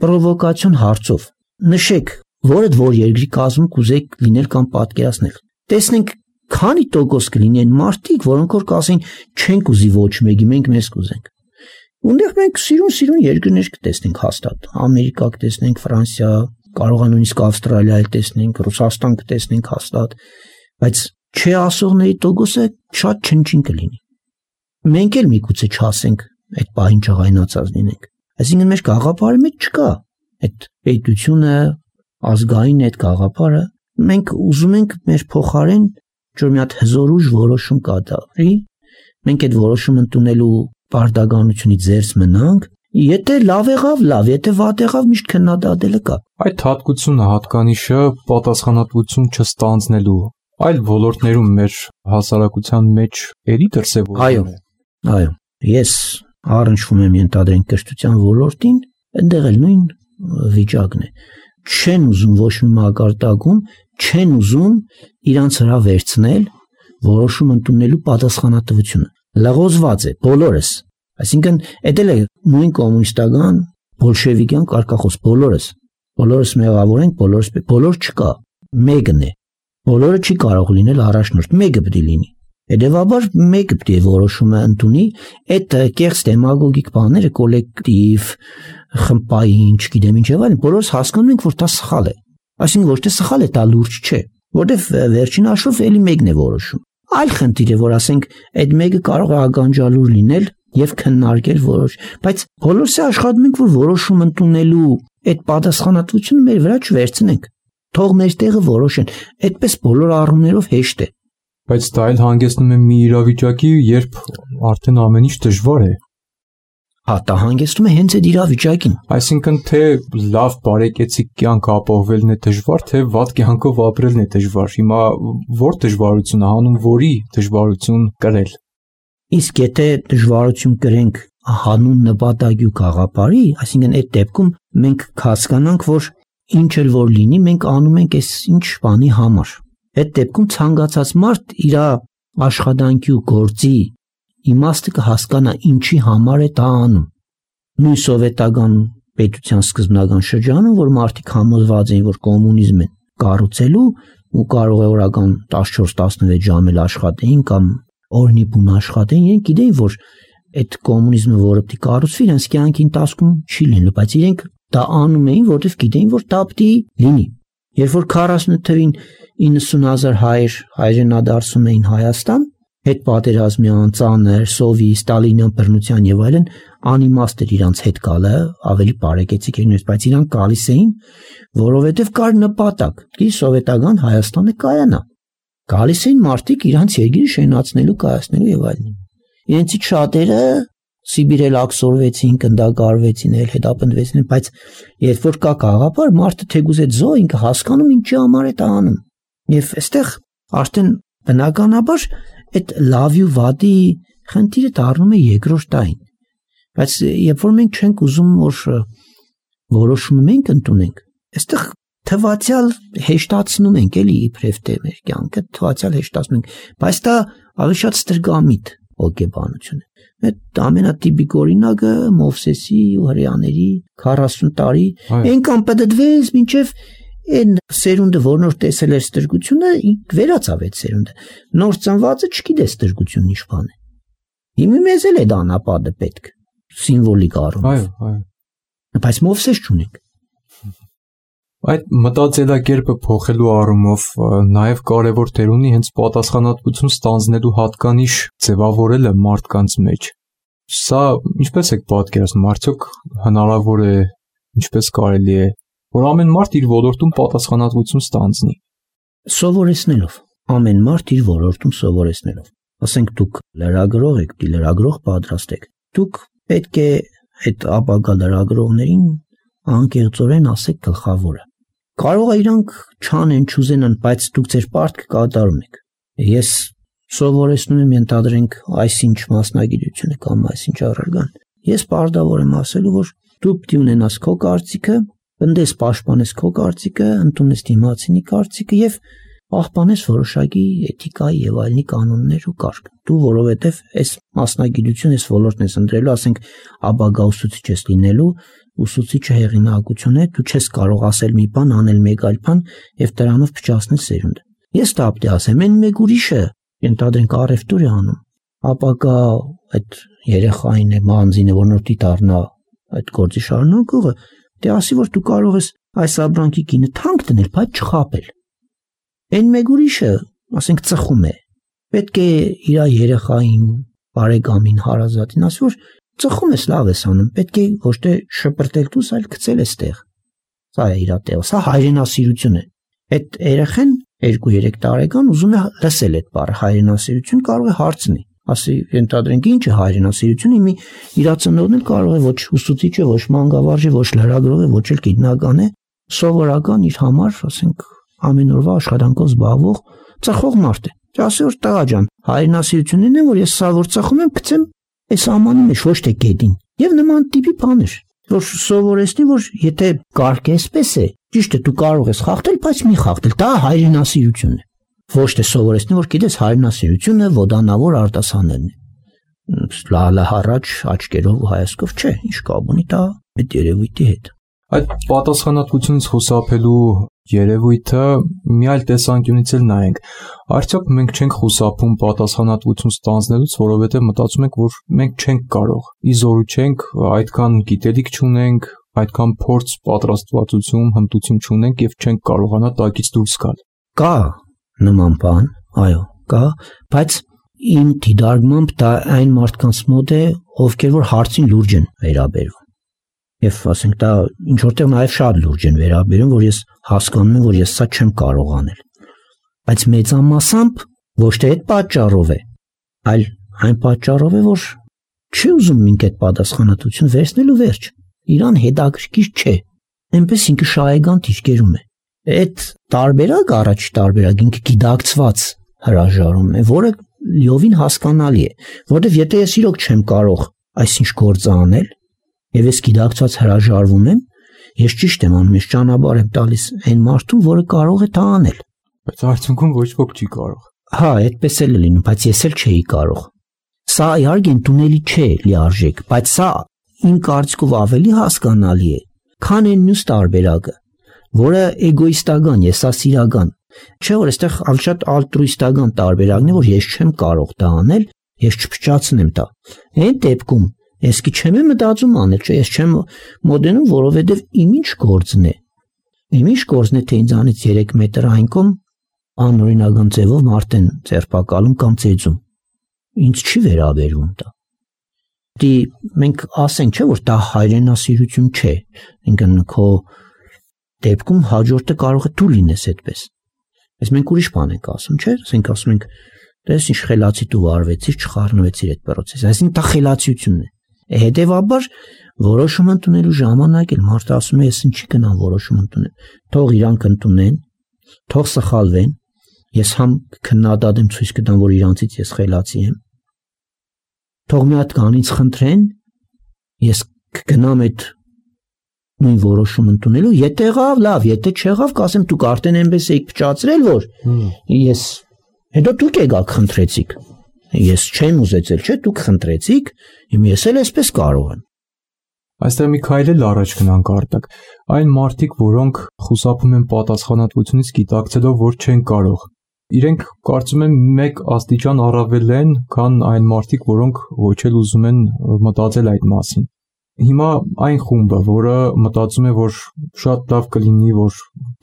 պրովոկացիոն հարցով։ Նշեք, որ երկրի կազմում կուզեք լինել կամ պատկերացնել։ Տեսնենք քանի տոկոս կլինեն մարդիկ, որոնք որ կասեն չենք ուզի ոչ մեկի, մենք մեզ կուզենք։ Ունդեղ մենք սիրուն երկրներ կտեսնենք հաստատ։ Ամերիկա կտեսնենք, Ֆրանսիա, կարող է նույնիսկ Ավստրալիա էլ տեսնենք, Ռուսաստան կտեսնենք հաստատ, բայց չէ ասողների տոկոսը շատ չնչին կլինի։ Մենք էլ միգուցե չասենք այդ պահին ջղայնացած լինենք։ Այսինքն մեր գաղափարի մեջ չկա այդ պետությունը, ազգային այդ գաղափարը, մենք ուզում ենք մեր փոխարեն որ մի հատ հզորուժ որոշում կատարվի, մենք այդ որոշումը ընդունելու պարտականությունից զերծ մնանք, եթե լավ եղավ, լավ, եթե վատ եղավ, միշտ քննադատելը կա։ Այդ հատկությունը, հատկանիշը պատասխանատվություն չստանձնելու այլ ոլորտներում մեր հասարակության մեջ էլի դրսևորվում է։ Այո, ես առնչվում եմ ենթադրենք կրթության ոլորտին, այնտեղ էլ նույն վիճակն է։ Չեն ուզում ոչ մի մակարդակում, չեն ուզում իրանց վրա վերցնել որոշում ընդունելու պատասխանատվությունը։ Լղոզված է բոլորս, այսինքն դա էլ է նույն կոմունիստական, բոլշևիկյան կարգախոս, բոլորս մեղավոր ենք, բոլոր չկա, մեկն է, բոլորը չի կարող լինել առաջնորդ, մեկը պետք է լինի։ Հետևաբար մեկը պետք է որոշումը ընդունի, այդ կեղծ դեմագոգիկ բաները կոլեկտիվ, խմբային, չգիտեմ ինչ եւ այլն, բոլորս հասկանում ենք, որ դա սխալ է։ Այսինքն ոչ թե սխալ է, դա լուրջ չէ, որտեվ վերջին հաշվով էլի մեկն է որոշում։ Այլ խնդիր է, որ ասենք այդ մեկը կարող է ագանջալուր լինել եւ քննարկել որոշ, բայց բոլորս աշխատում ենք, որ որոշում ընդունելու այդ պատասխանատվությունը մեր վրա չվերցնենք։ Թող մեր տեղը որոշեն, այդպես բոլոր առումներով հեշտ է։ Բայց դա էլ հանգեցնում է մի իրավիճակի, երբ արդեն ամեն ինչ դժվար է։ Հա, դա հանգեցնում է հենց այդ իրավիճակին։ Այսինքն թե լավ բարեկեցիկ կյանք ապահովելն է դժվար, թե վատ կյանքով ապրելն է դժվար։ Հիմա որ դժվարությունը, հանուն որի դժվարություն կրել։ Իսկ եթե դժվարություն կրենք հանուն նպատակի ու գաղափարի, այսինքն այդ դեպքում մենք հասկանանք, որ ինչ էլ որ լինի, մենք անում ենք այս ինչ բանի համար։ Այդ դեպքում ցանկացած մարդ իր աշխատանքի ու գործի իմաստը կհասկանա ինչի համար է դա անում։ Նույն սովետական պետության սկզբնական շրջանում, որ մարդիկ համոզված էին, որ կոմունիզմ են կառուցելու ու կարող է օրական 14-16 ժամ էլ աշխատեին կամ օրնի բուն աշխատեին, իրենք գիտեին, որ այդ կոմունիզմը, որը պետք է կառուցվի, իրենց կյանքի ընթացքում չի լինելու, բայց իրենք դա անում էին, որովհետև գիտեին, որ դա պետք է լինի։ Երբ որ 48 թվին 90,000 հայրենադարձում էին Հայաստան, հետ պատերազմյան, ծանր, սովի, ստալինյան բռնության եւ այլն, անիմաստ էր իրանց հետ գալը, ավելի բարեկեցիկ էր, բայց իրանք գալիս էին, որովհետեւ կար նպատակ, դի սովետական Հայաստանը կայանա։ Գալիս էին մարդիկ իրանց երկիրը շենացնելու, կայացնելու եւ այլն։ Իրենցից շատերը Սիբիրել աքսորվեցին, կնդակարվեցին, հետապնդվեցին, բայց երբ որ կա գաղափար, մարդը թեկուզ այդ զո ինքը հասկանում ինչի համար է դա անում։ Եվ այստեղ արդեն բնականաբար այդ լավի ու վատի խնդիրը դառնում է երկրորդային։ Բայց երբ որ մենք չենք ուզում որ որոշումը մենք ընդունենք, այստեղ թվացial հեշտացնում ենք, էլի իբրև թե մեր կյանքը թվացial հեշտացնում ենք, բայց դա ավելի շատ ստրգամիտ հոգեբանություն է։ Այդ ամենատիպիկ օրինակը Մովսեսի ու հրեաների 40 տարի այնքան պատդվեց, մինչև այն սերունդը, որ նոր տեսել էր ստրգությունը, վերացավ այդ սերունդը։ Նոր ծնվածը չգիտե ստրգությունն ինչ բան է։ Հիմա մեզ էլ է դա անապատը պետք, սիմվոլիկ առումով։ Այո։ Բայց Մովսես չունենք։ Այդ մտածելակերպը փոխելու առումով նաև կարևոր դեր ունի հենց պատասխանատվություն ստանձնելու հատկանիշ ձևավորելը մարդկանց մեջ։ Սա ինչպես եք պատկերացնում, արդյոք հնարավոր է, ինչպես կարելի է, որ ամեն մարդ իր ոլորտում պատասխանատվություն ստանձնի։ Սովորեցնելով, ամեն մարդ իր ոլորտում սովորեցնելով։ Ասենք դուք լրագրող եք, լրագրող պատրաստեք։ Դուք պետք է այդ ապագա լրագրողներին անկեղծորեն ասեք գլխավորը։ Կարող է իրանք չանեն, չուզենան, բայց դուք ձեր պարտքը կատարում եք։ Ես սովորեցնում եմ, ենթադրենք, այսինչ մասնագիտությունը կամ այսինչ առարգան։ Ես պարտավոր եմ ասելու, որ դու պետք է ունենաս քո կարծիքը, ընդես պաշտպանես քո կարծիքը, ընդունես դիմացինի կարծիքը եւ պահպանես որոշակի էթիկայի եւ այլնի կանոններ ու կարգ։ Դու որովհետեւ այս մասնագիտությունը, այս ոլորտն ես ընտրելու, ասենք, ապագա ուսուցիչ ես լինելու, ուսուցիչը հեղինակություն է, դու չես կարող ասել մի բան, անել մեկ այլ բան եւ դրանով փչացնել սերունդը։ Ես դա պետք է ասեմ, այն մեկ ուրիշը, ենթադրենք, առևտուր է անում, ապագա այդ երեխային է, մանձին է, որ նոր դառնա այդ գործի շարունակողը, դե ասի, որ դու կարող ես այս ապրանքի գինը թանկ դնել, բայց չխաբել։ Այն մեկ ուրիշը, ասենք, ծխում է, պետք է իր երեխային, բարեկամին, հարազատին ասի, որ ծխում ես, լավ ես անում, պետք է ոչ թե շպրտել դուս, այլ գցել ես տեղ։ Սա է իր տեղը, սա հայրենասիրություն է։ Այդ երեխան 2-3 տարեկան ուզում է լսել այդ բառը, հայրենասիրություն, կարող է հարցնի, ասի, ենթադրենք, ինչ է հայրենասիրությունը, մի իրացնողն էլ կարող է ոչ ուսուցիչ է, ոչ մանկավարժ է, ոչ լրագրող է, ոչ էլ գիտնական է, սովորական իր համար, ասենք, ամեն օրվա աշխատանքով զբաղվող ծխող մարդ է։ Ասի, որ տղա ջան, հայրենասիրությունն է, որ ես սա որ ծխում եմ, գցեմ այս ամանի մեջ, ոչ թե գետին։ Եվ նման տիպի բաներ, որ սովորեցնի, որ եթե կարգ էսպես է, ճիշտ է, դու կարող ես խախտել, բայց մի խախտել, դա հայրենասիրություն է։ Ոչ թե սովորեցնի, որ գիտես հայրենասիրությունը ոդանավոր արտասանելն է։ Լալա հառաջ աչքերով ու հայացքով չէ, ինչ կապ ունի դա այդ երևույթի հետ։ Այդ պատասխանատվությունից խուսափելու երևույթը մի այլ տեսանկյունից էլ նայենք։ Արդյոք մենք չենք խուսափում պատասխանատվություն ստանձնելուց, որովհետև մտածում ենք, որ մենք չենք կարող, ի զորու չենք, այդքան գիտելիք չունենք, այդքան փորձ, պատրաստվածություն, հմտություն չունենք եւ չենք կարողանա տակից դուրս գալ։ Կա նման բան, այո, կա, բայց իմ դիտարկմամբ դա այն մարդկանց մոտ է, ովքեր որ հարցին լուրջ են վերաբերվում։ Եվ ասենք դա ինչ որտեղ նաև շատ լուրջ են վերաբերում, որ ես հասկանում եմ, որ ես սա չեմ կարող անել։ Բայց մեծամասամբ ոչ թե այդ պատճառով է, այլ այն պատճառով է, որ չի ուզում ինքը այդ պատասխանատվություն վերցնելու վերջ։ Իրան հետաքրքիր չէ։ Այնպես ինքը շահեգան թիրքերում է։ Այդ տարբերակ, առաջի տարբերակ ինքը գիտակցված հրաժարում է, որը լիովին հասկանալի է, որովհետև եթե ես իրոք չեմ կարող այսինչ գործը անել, եւ ես գիտակցված հրաժարվում եմ, ես ճիշտ եմ անում, ես ճանապարհ եմ տալիս այն մարդուն, որը կարող է դա անել։ Բայց արդյունքում ոչ ոք չի կարող։ Հա, այդպես էլ է լինում, բայց ես էլ չէի կարող։ Սա իհարկե ընդունելի չէ լիարժեք, բայց սա իմ կարծիքով ավելի հասկանալի է, քան այն մյուս տարբերակը, որը էգոիստական, եսասիրական, չէ՞ որ այստեղ շատ ալտրուիստական տարբերակն է, որ ես չեմ կարող դա անել, ես չփչացնեմ դա։ Այն դեպքում ես չեմ մտածում անել, չէ, ես չեմ մոդենում, որովհետև իմ ինչ գործն է։ Իմ ինչ գործն է, թե ինձանից 3 մետր այնքան անօրինական ձևով մարդ են ձերբակալում կամ ծեծում։ Ինձ չի վերաբերվում դա։ Դի մենք ասենք, չէ, որ դա հայրենասիրություն չէ, ինքն քո դեպքում հաջորդը կարող է դու լինես այդպես։ Բայց մենք ուրիշ բան ենք ասում, չէ՞, ասենք ասում ենք, դες ինչ խելացի դու վարվեցիր, չխառնվեցիր այդ process-ը, այսինքն դա խելացիությունն է։ Հետևաբար որոշում ընդունելու ժամանակ էլ մարդը ասում է, ես ինչի գնամ որոշում ընդունեմ, թող իրանք ընդունեն, թող սխալվեն, ես համ քննադատեմ ցույց կտամ, որ իրանցից ես խելացի եմ, թող մի հատ կանից խնդրեն, ես կգնամ այդ նույն որոշում ընդունելու, եթե եղավ, լավ, եթե չեղավ, կասեմ դուք արդեն այնպես եք փչացրել, որ ես հետո դուք եկաք խնդրեցիք, ես չեմ ուզեցել, չէ, դուք խնդրեցիք, հիմա ես էլ այսպես կարող եմ։ Այստեղ մի քայլ էլ առաջ գնանք Արտակ, այն մարդիկ, որոնք խուսափում են պատասխանատվությունից գիտակցելով, որ չեն կարող, իրենք կարծում եմ մեկ աստիճան առավել են, քան այն մարդիկ, որոնք ոչ էլ ուզում են մտածել այդ մասին։ Հիմա այն խումբը, որը մտածում է, որ շատ լավ կլինի, որ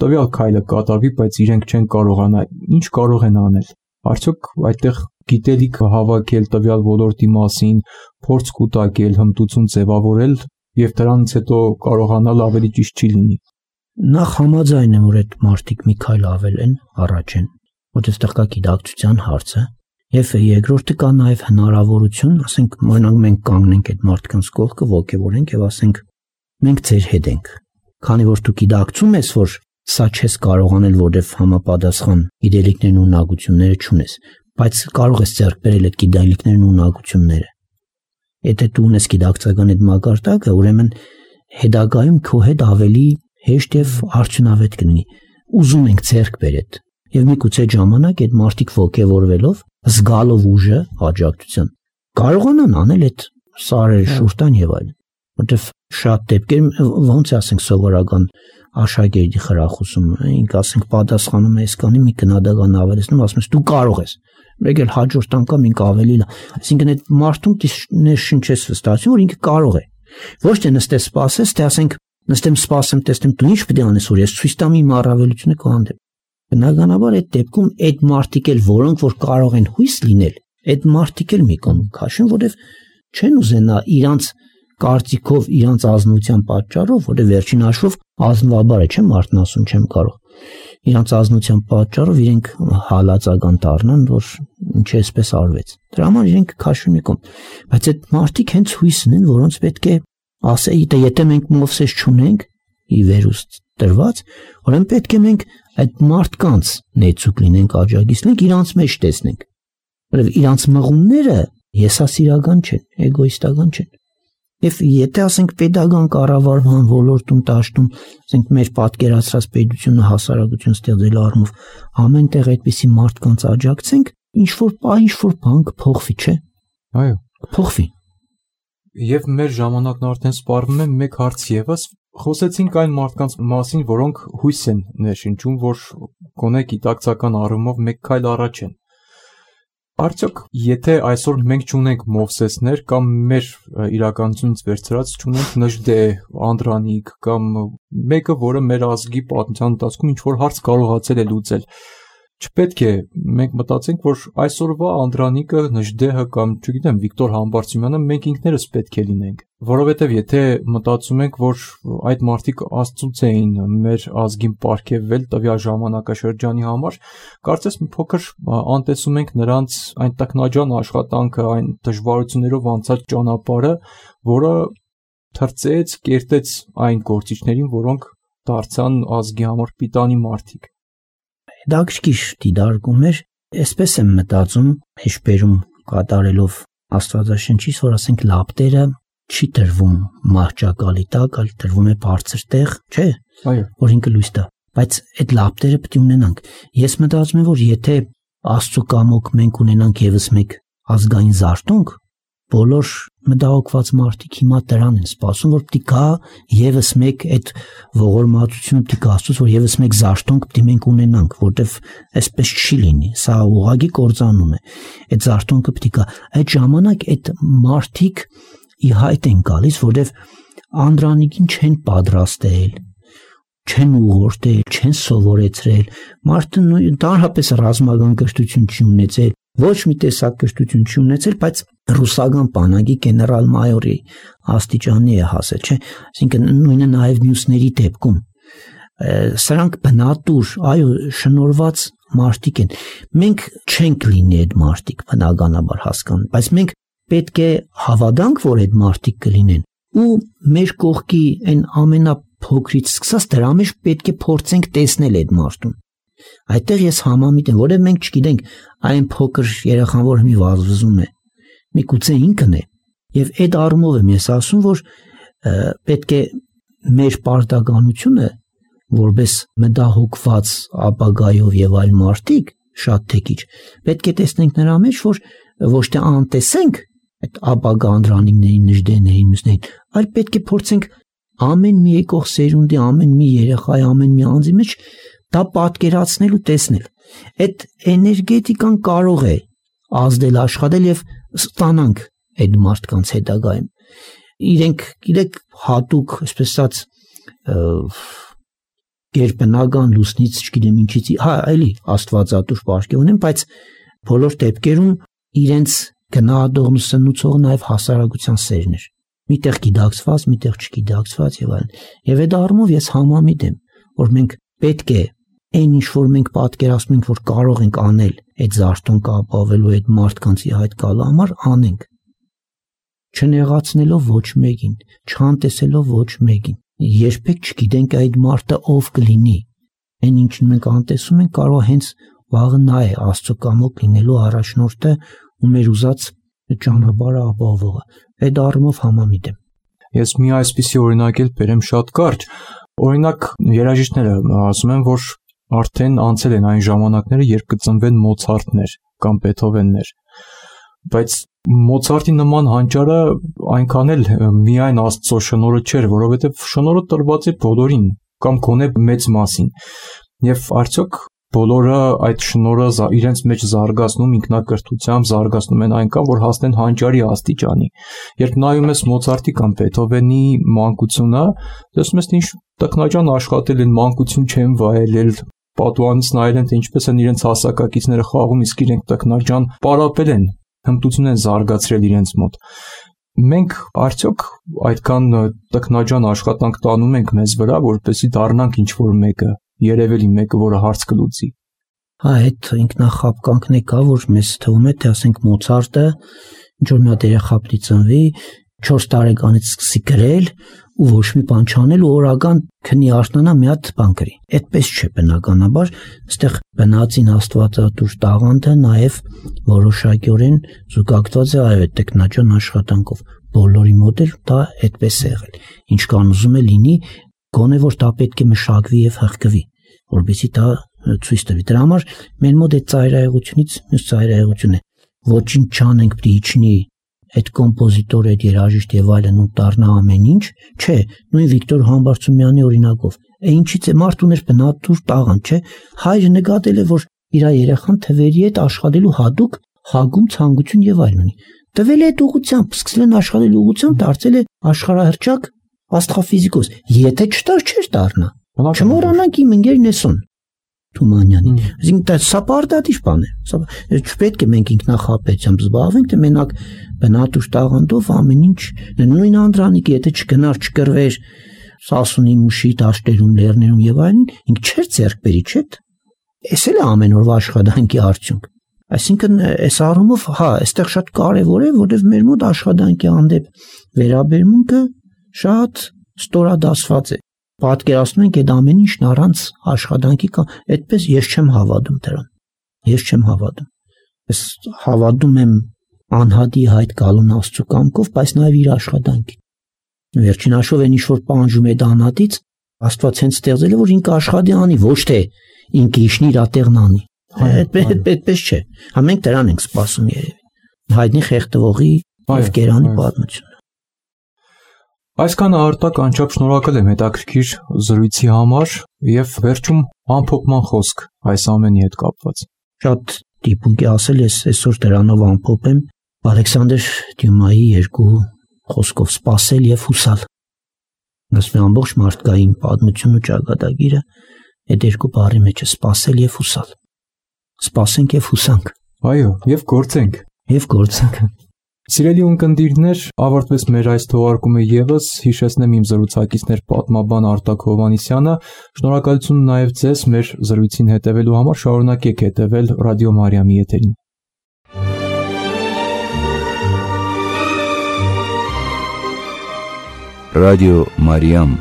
տվյալ քայլը կատարվի, բայց իրենք չեն կարողանա, ինչ կարող են անել։ Արդյոք այդտեղ գիտելիք հավաքել տվյալ ոլորտի մասին, փորձ կուտակել, հմտություն ձևավորել եւ դրանից հետո կարողանալ ավելի ճիշտ չի լինի։ Նախ համաձայն եմ, որ այդ մարդիկ մի քայլ ավել են, առաջ են, որտեղ կա գիտակցության հարցը, եւ երկրորդը կա նաեւ հնարավորություն, ասենք, օրինակ մենք կանգնենք այդ մարդկանց կողքը, ողջևորենք եւ ասենք, մենք ձեր հետ ենք։ Քանի որ դու գիտակցում ես, որ սա չես կարող անել, որովհետեւ համապատասխան գիտելիքներն ու ունակությունները չունես, բայց կարող ես ձեռք բերել այդ գիտելիքներն ու ունակությունները։ Եթե դու ունես գիտակցական այդ մակարդակը, ուրեմն հետագայում քո հետ ավելի հեշտ եւ արդյունավետ կլինի։ Ուզում ենք ձեռք բերել եւ միգուցե ժամանակ այդ մարդիկ ողջևորվելով, զգալով ուժը, աջակցություն, կարողանան անել այդ սարերը, շուրտան եւ այլն։ Որտեւ շատ դեպքեր ոնց ասենք սովորական աշակերտի խրախուսում, ինք ասենք պատասխանում է այսքանի մի գնահատական ավելացնում, ասում ես դու կարող ես։ Մեկ էլ հաջորդ անգամ ինք ավելի լավ։ Այսինքն այդ մարդուն ներշնչես վստահություն, որ ինքը կարող է։ Ոչ թե նստես սպասես, թե ասենք նստեմ սպասեմ, տեսնեմ դու ինչ պետք է անես, որ ես ցույց տամ իմ առավելությունը քո հանդեպ։ Բնականաբար այդ դեպքում այդ մարդիկ էլ, որոնք որ կարող են հույս լինել, այդ մարդիկ էլ մի կողմ քաշեն, որովհետև չեն ուզենա իրանց կարծիքով, իրանց ազնության պատճառով, որը վերջին հաշվով ազնվաբար է, չէ՞, մարդն ասում չեմ կարող։ Իրանց ազնության պատճառով իրենք հալածական դառնան, որ ինչ էսպես արվեց։ Դրա համար իրենք քաշում եկում։ Բայց այդ մարդիկ հենց հույս ունեն, որոնց պետք է ասեի, եթե մենք Մովսես չունենք, ի վերուստ տրված, ուրեմն պետք է մենք այդ մարդկանց նեցուկ լինենք, աջակից լինենք, իրանց մեջ տեսնենք։ Որովհետև իրանց մղումները եսասիրական չեն, էգոիստական չեն։ Եվ եթե ասենք պետական կառավարման ոլորտում տաշտում, ասենք մեր պատկերացրած պետությունը հասարակություն ստեղծելու առումով ամենտեղ այդպիսի մարդկանց աջակցենք, ինչ որ բան կփոխվի, չէ՞։ Այո, կփոխվի։ Եվ մեր ժամանակն արդեն սպառվում է մեկ հարց եւս, խոսեցինք այն մարդկանց մասին, որոնք հույս են ներշնչում, որ գոնե գիտակցական առումով մեկ քայլ առաջ են։ Արդյոք, եթե այսօր մենք չունենք Մովսեսներ կամ մեր իրականությունից վերցրած չունենք Նժդե, Անդրանիկ կամ մեկը, որը մեր ազգի պատմության ընթացքում ինչ-որ հարց կարողացել է լուծել, չպետք է մենք մտածենք, որ այսօրվա Անդրանիկը, Նժդեհը կամ, չգիտեմ, Վիկտոր Համբարձումյանը մենք ինքներս պետք է լինենք, որովհետև եթե մտածում ենք, որ այդ մարդիկ Աստծուց էին մեր ազգին պարգևվել տվյալ ժամանակաշրջանի համար, կարծես մի փոքր անտեսում ենք նրանց այն տքնաջան աշխատանքը, այն դժվարություններով անցած ճանապարհը, որը թրծեց, կերտեց այն գործիչներին, որոնք դարձան ազգի համար պիտանի մարդիկ։ Դակշկիշ դիդարգում էր, այսպես եմ մտածում, հեշտերում կատարելով Աստվածաշնչից, որ ասենք լապտերը չի տրվում մահճակալի տակ, այլ տրվում է բարձր տեղ, չէ՞։ Այո, որ ինքը լույս տա։ Բայց այդ լապտերը պետք է ունենանք։ Ես մտածում եմ, որ եթե Աստծո կամոք մենք ունենանք եւս մեկ ազգային զարթոնք, բոլոր մտահոգված մարդիկ հիմա դրան են սպասում, որ պետք է եւս մեկ այդ ողորմածությունը պետք է Աստծոց, որ եւս մեկ զարթոնք պետք է մենք ունենանք, որտեվ այսպես չի լինի, սա ուղղակի կործանում է։ Այդ զարթոնքը պետք է այդ ժամանակ այդ մարդիկ ի հայտ են գալիս, որտեվ Անդրանիկին չեն պատրաստել, չեն ուղղորդել, չեն սովորեցրել, մարդը ընդհանրապես ռազմական կրթություն չի ունեցել, ոչ մի տեսակ կրթություն չի ունեցել, բայց ռուսական բանակի գեներալ-մայորի աստիճանի է հասել, չէ՞։ Այսինքն նույնը նաև մյուսների դեպքում սրանք բնատուր, այո, շնորհված մարդիկ են։ Մենք չենք լինի այդ մարդիկ, բնականաբար հասկանում, բայց մենք պետք է հավատանք, որ այդ մարդիկ կլինեն, ու մեր կողքի այն ամենափոքրից սկսած դրա մեջ պետք է փորձենք տեսնել այդ մարդուն։ Այդտեղ ես համամիտ եմ, որովհետև մենք չգիտենք այն փոքր երեխան, որ մի վազվզում է, միգուցե ինքն է, եւ այդ առումով եմ ես ասում, որ պետք է մեր պարտականությունը որպես մտահոգված ապագայով եւ այլ մարդիկ շատ թեկիչ պետք է տեսնենք նրա մեջ, որ ոչ թե անտեսենք այդ ապագա Անդրանիկների, Նժդեների, մյուսներին, այլ պետք է փորձենք ամեն մի եկող սերունդի, ամեն մի երեխայի, ամեն մի անձի մեջ դա պատկերացնել ու տեսնել։ Այդ էներգետիկան կարող է ազդել, աշխատել եւ ստանանք այդ մարդկանց հետագայում։ իրենք գիտեք հատուկ, այսպես ասած, գերբնական լուսնից, չգիտեմ ինչից, էլի աստվածատուր պարգև ունեն, բայց բոլոր դեպքերում իրենց գնահատողն ու սնուցողը նաև հասարակության սերն էր։ Միտեղ գիտակցված, միտեղ չգիտակցված եւ այլն։ Եվ այդ առումով ես համամիտ եմ, որ մենք պետք է այն ինչ որ մենք պատկերացնում ենք, որ կարող ենք անել այդ զարթոնքը ապավելու, այդ մարդկանց իհայտ գալու համար, անենք։ Չնեղացնելով ոչ մեկին, չանտեսելով ոչ մեկին։ Երբեք չգիտենք այդ մարդը ով կլինի։ Այն ինչն մենք անտեսում ենք, կարող հենց վաղը նա է Աստծո կամոք լինելու առաջնորդը ու մեր ուզած ճանապարհը ապահովողը։ Այդ առումով համամիտ եմ։ Ես մի այսպիսի օրինակ էլ բերեմ շատ կարճ։ Օրինակ երաժիշտները ասում են, որ արդեն անցել են այն ժամանակները, երբ կծնվեն Մոցարտներ կամ Բեթհովեններ։ Բայց Մոցարտի նման հանճարը այնքան էլ միայն Աստծո շնորհը չէր, որովհետև շնորհը տրված է բոլորին կամ գոնե մեծ մասին։ Եվ արդյոք բոլորը այդ շնորհը իրենց մեջ զարգացնում, ինքնակրթությամբ զարգացնում են այնքան, որ հասնեն հանճարի աստիճանի։ Երբ նայում ես Մոցարտի կամ Բեթհովենի մանկությունը, տեսնում ես, թե ինչ տքնաջան աշխատել են, մանկություն չեն վայելել, պատուհանից նայել են, թե ինչպես են իրենց հասակակիցները խաղում, իսկ իրենք տքնաջան պարապել են, հմտություն են զարգացրել իրենց մոտ։ Մենք արդյոք այդքան տքնաջան աշխատանք տանում ենք մեզ վրա, որպեսզի դառնանք ինչ-որ մեկը, երևելի մեկը, որը հարց կլուծի։ Այդ ինքնախապկանքն է կա, որ մեզ թվում է, թե ասենք Մոցարտը ինչ-որ մի հատ երեխա պիտի ծնվի, 4 տարեկանից սկսի գրել ու ոչ մի բան չանել ու օրական քնի արթնանա մի հատ բան գրի։ Այդպես չէ բնականաբար, այստեղ բնածին աստվածատուր տաղանդը նաև որոշակիորեն զուգակցված է այդ տեխնոջան աշխատանքով։ Բոլորի մոտ էլ դա այդպես է եղել։ Ինչ կան ուզում է լինի, գոնե որ դա պետք է մշակվի եւ հղկվի, որովհետեւ դա ցույց տվի։ Դրա համար մեր մոտ այդ ծայրահեղությունից մյուս ծայրահեղություն է։ Ոչինչ չանենք պիտի իջնի այդ կոմպոզիտորը, այդ երաժիշտ եւ այլն ու դառնա ամեն ինչ, չէ, նույն Վիկտոր Համբարձումյանի օրինակով։ Ինչից է մարդ ուներ բնատուր տաղանդ, չէ։ Հայրը նկատել է, որ իր երեխան թվերի հետ աշխատելու հատուկ հագում ցանկություն եւ այլն ունի։ Տվել է այդ ուղղությամբ, սկսել են աշխատել ուղղությամբ, դարձել է աշխարհահռչակ աստղաֆիզիկոս։ Եթե չտար չէր դառնա։ Չմոռանանք իմ ընկեր Նեսոն Թումանյանին։ Այսինքն սա պարտադիր բան է։ Չպետք է մենք ինքնախապեյությամբ զբաղվենք, թե մենակ բնատուր տաղանդով ամեն ինչ նույն Անդրանիկը, եթե չգնար, չկրվեր Սասունի մուշի դաշտերում, լեռներում եւ այլն, ինք չէր ձեռք բերի, չէ՞։ Էս էլ է ամեն օրվա աշխատանքի արդյունք։ Այսինքն այս առումով, այստեղ շատ կարևոր է, որովհետև մեր մոտ աշխատանքի հանդեպ վերաբերմունքը շատ ստորադասված է։ Պատկերացնում ենք այդ ամեն ինչն առանց աշխատանքի կա, այդպես ես չեմ հավատում դրան։ Ես չեմ հավատում։ Ես հավատում եմ անհատի հայտ գալուն Աստծո կամքով, բայց նաև իր աշխատանքին։ Վերջին հաշվով այն ինչ որ պահանջում է անհատից, Աստված հենց ստեղծել է, որ ինքը աշխատի անի, ոչ թե ինքը իշնի իր տեղն անի։ Այդպես չէ։ Մենք դրան ենք սպասում երևի։ Հայտնի խեղդվողի եւ կերանի պատմությունը։ Այսքան Արտակ անչափ շնորհակալ եմ հետաքրքիր զրույցի համար եւ վերջում ամփոփման խոսք այս ամենի հետ կապված։ Շատ դիպուկ է ասել, ես այսօր դրանով ամփոփեմ Ալեքսանդր Դյումայի երկու խոսքով՝ սпасել եւ հուսալ։ Ասում եմ ամբողջ մարդկային պատմությունն ու ճակատագիրը այդ երկու բառի մեջ է՝ սпасել եւ հուսալ։ Սպասենք եւ հուսանք։ Այո, եւ գործենք։ Եվ գործենք։ Սիրելի ունկնդիրներ, ավարտվեց մեր այս թողարկումը եւս, հիշեցնեմ իմ զրուցակիցներ պատմաբան Արտակ Հովհաննիսյանը, շնորհակալություն նաեւ ձեզ մեր զրույցին հետևելու համար, շարունակեք հետևել Ռադիո Մարիամի եթերին։ Ռադիո Մարիամ,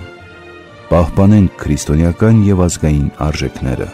պահպանենք քրիստոնեական եւ ազգային արժեքները։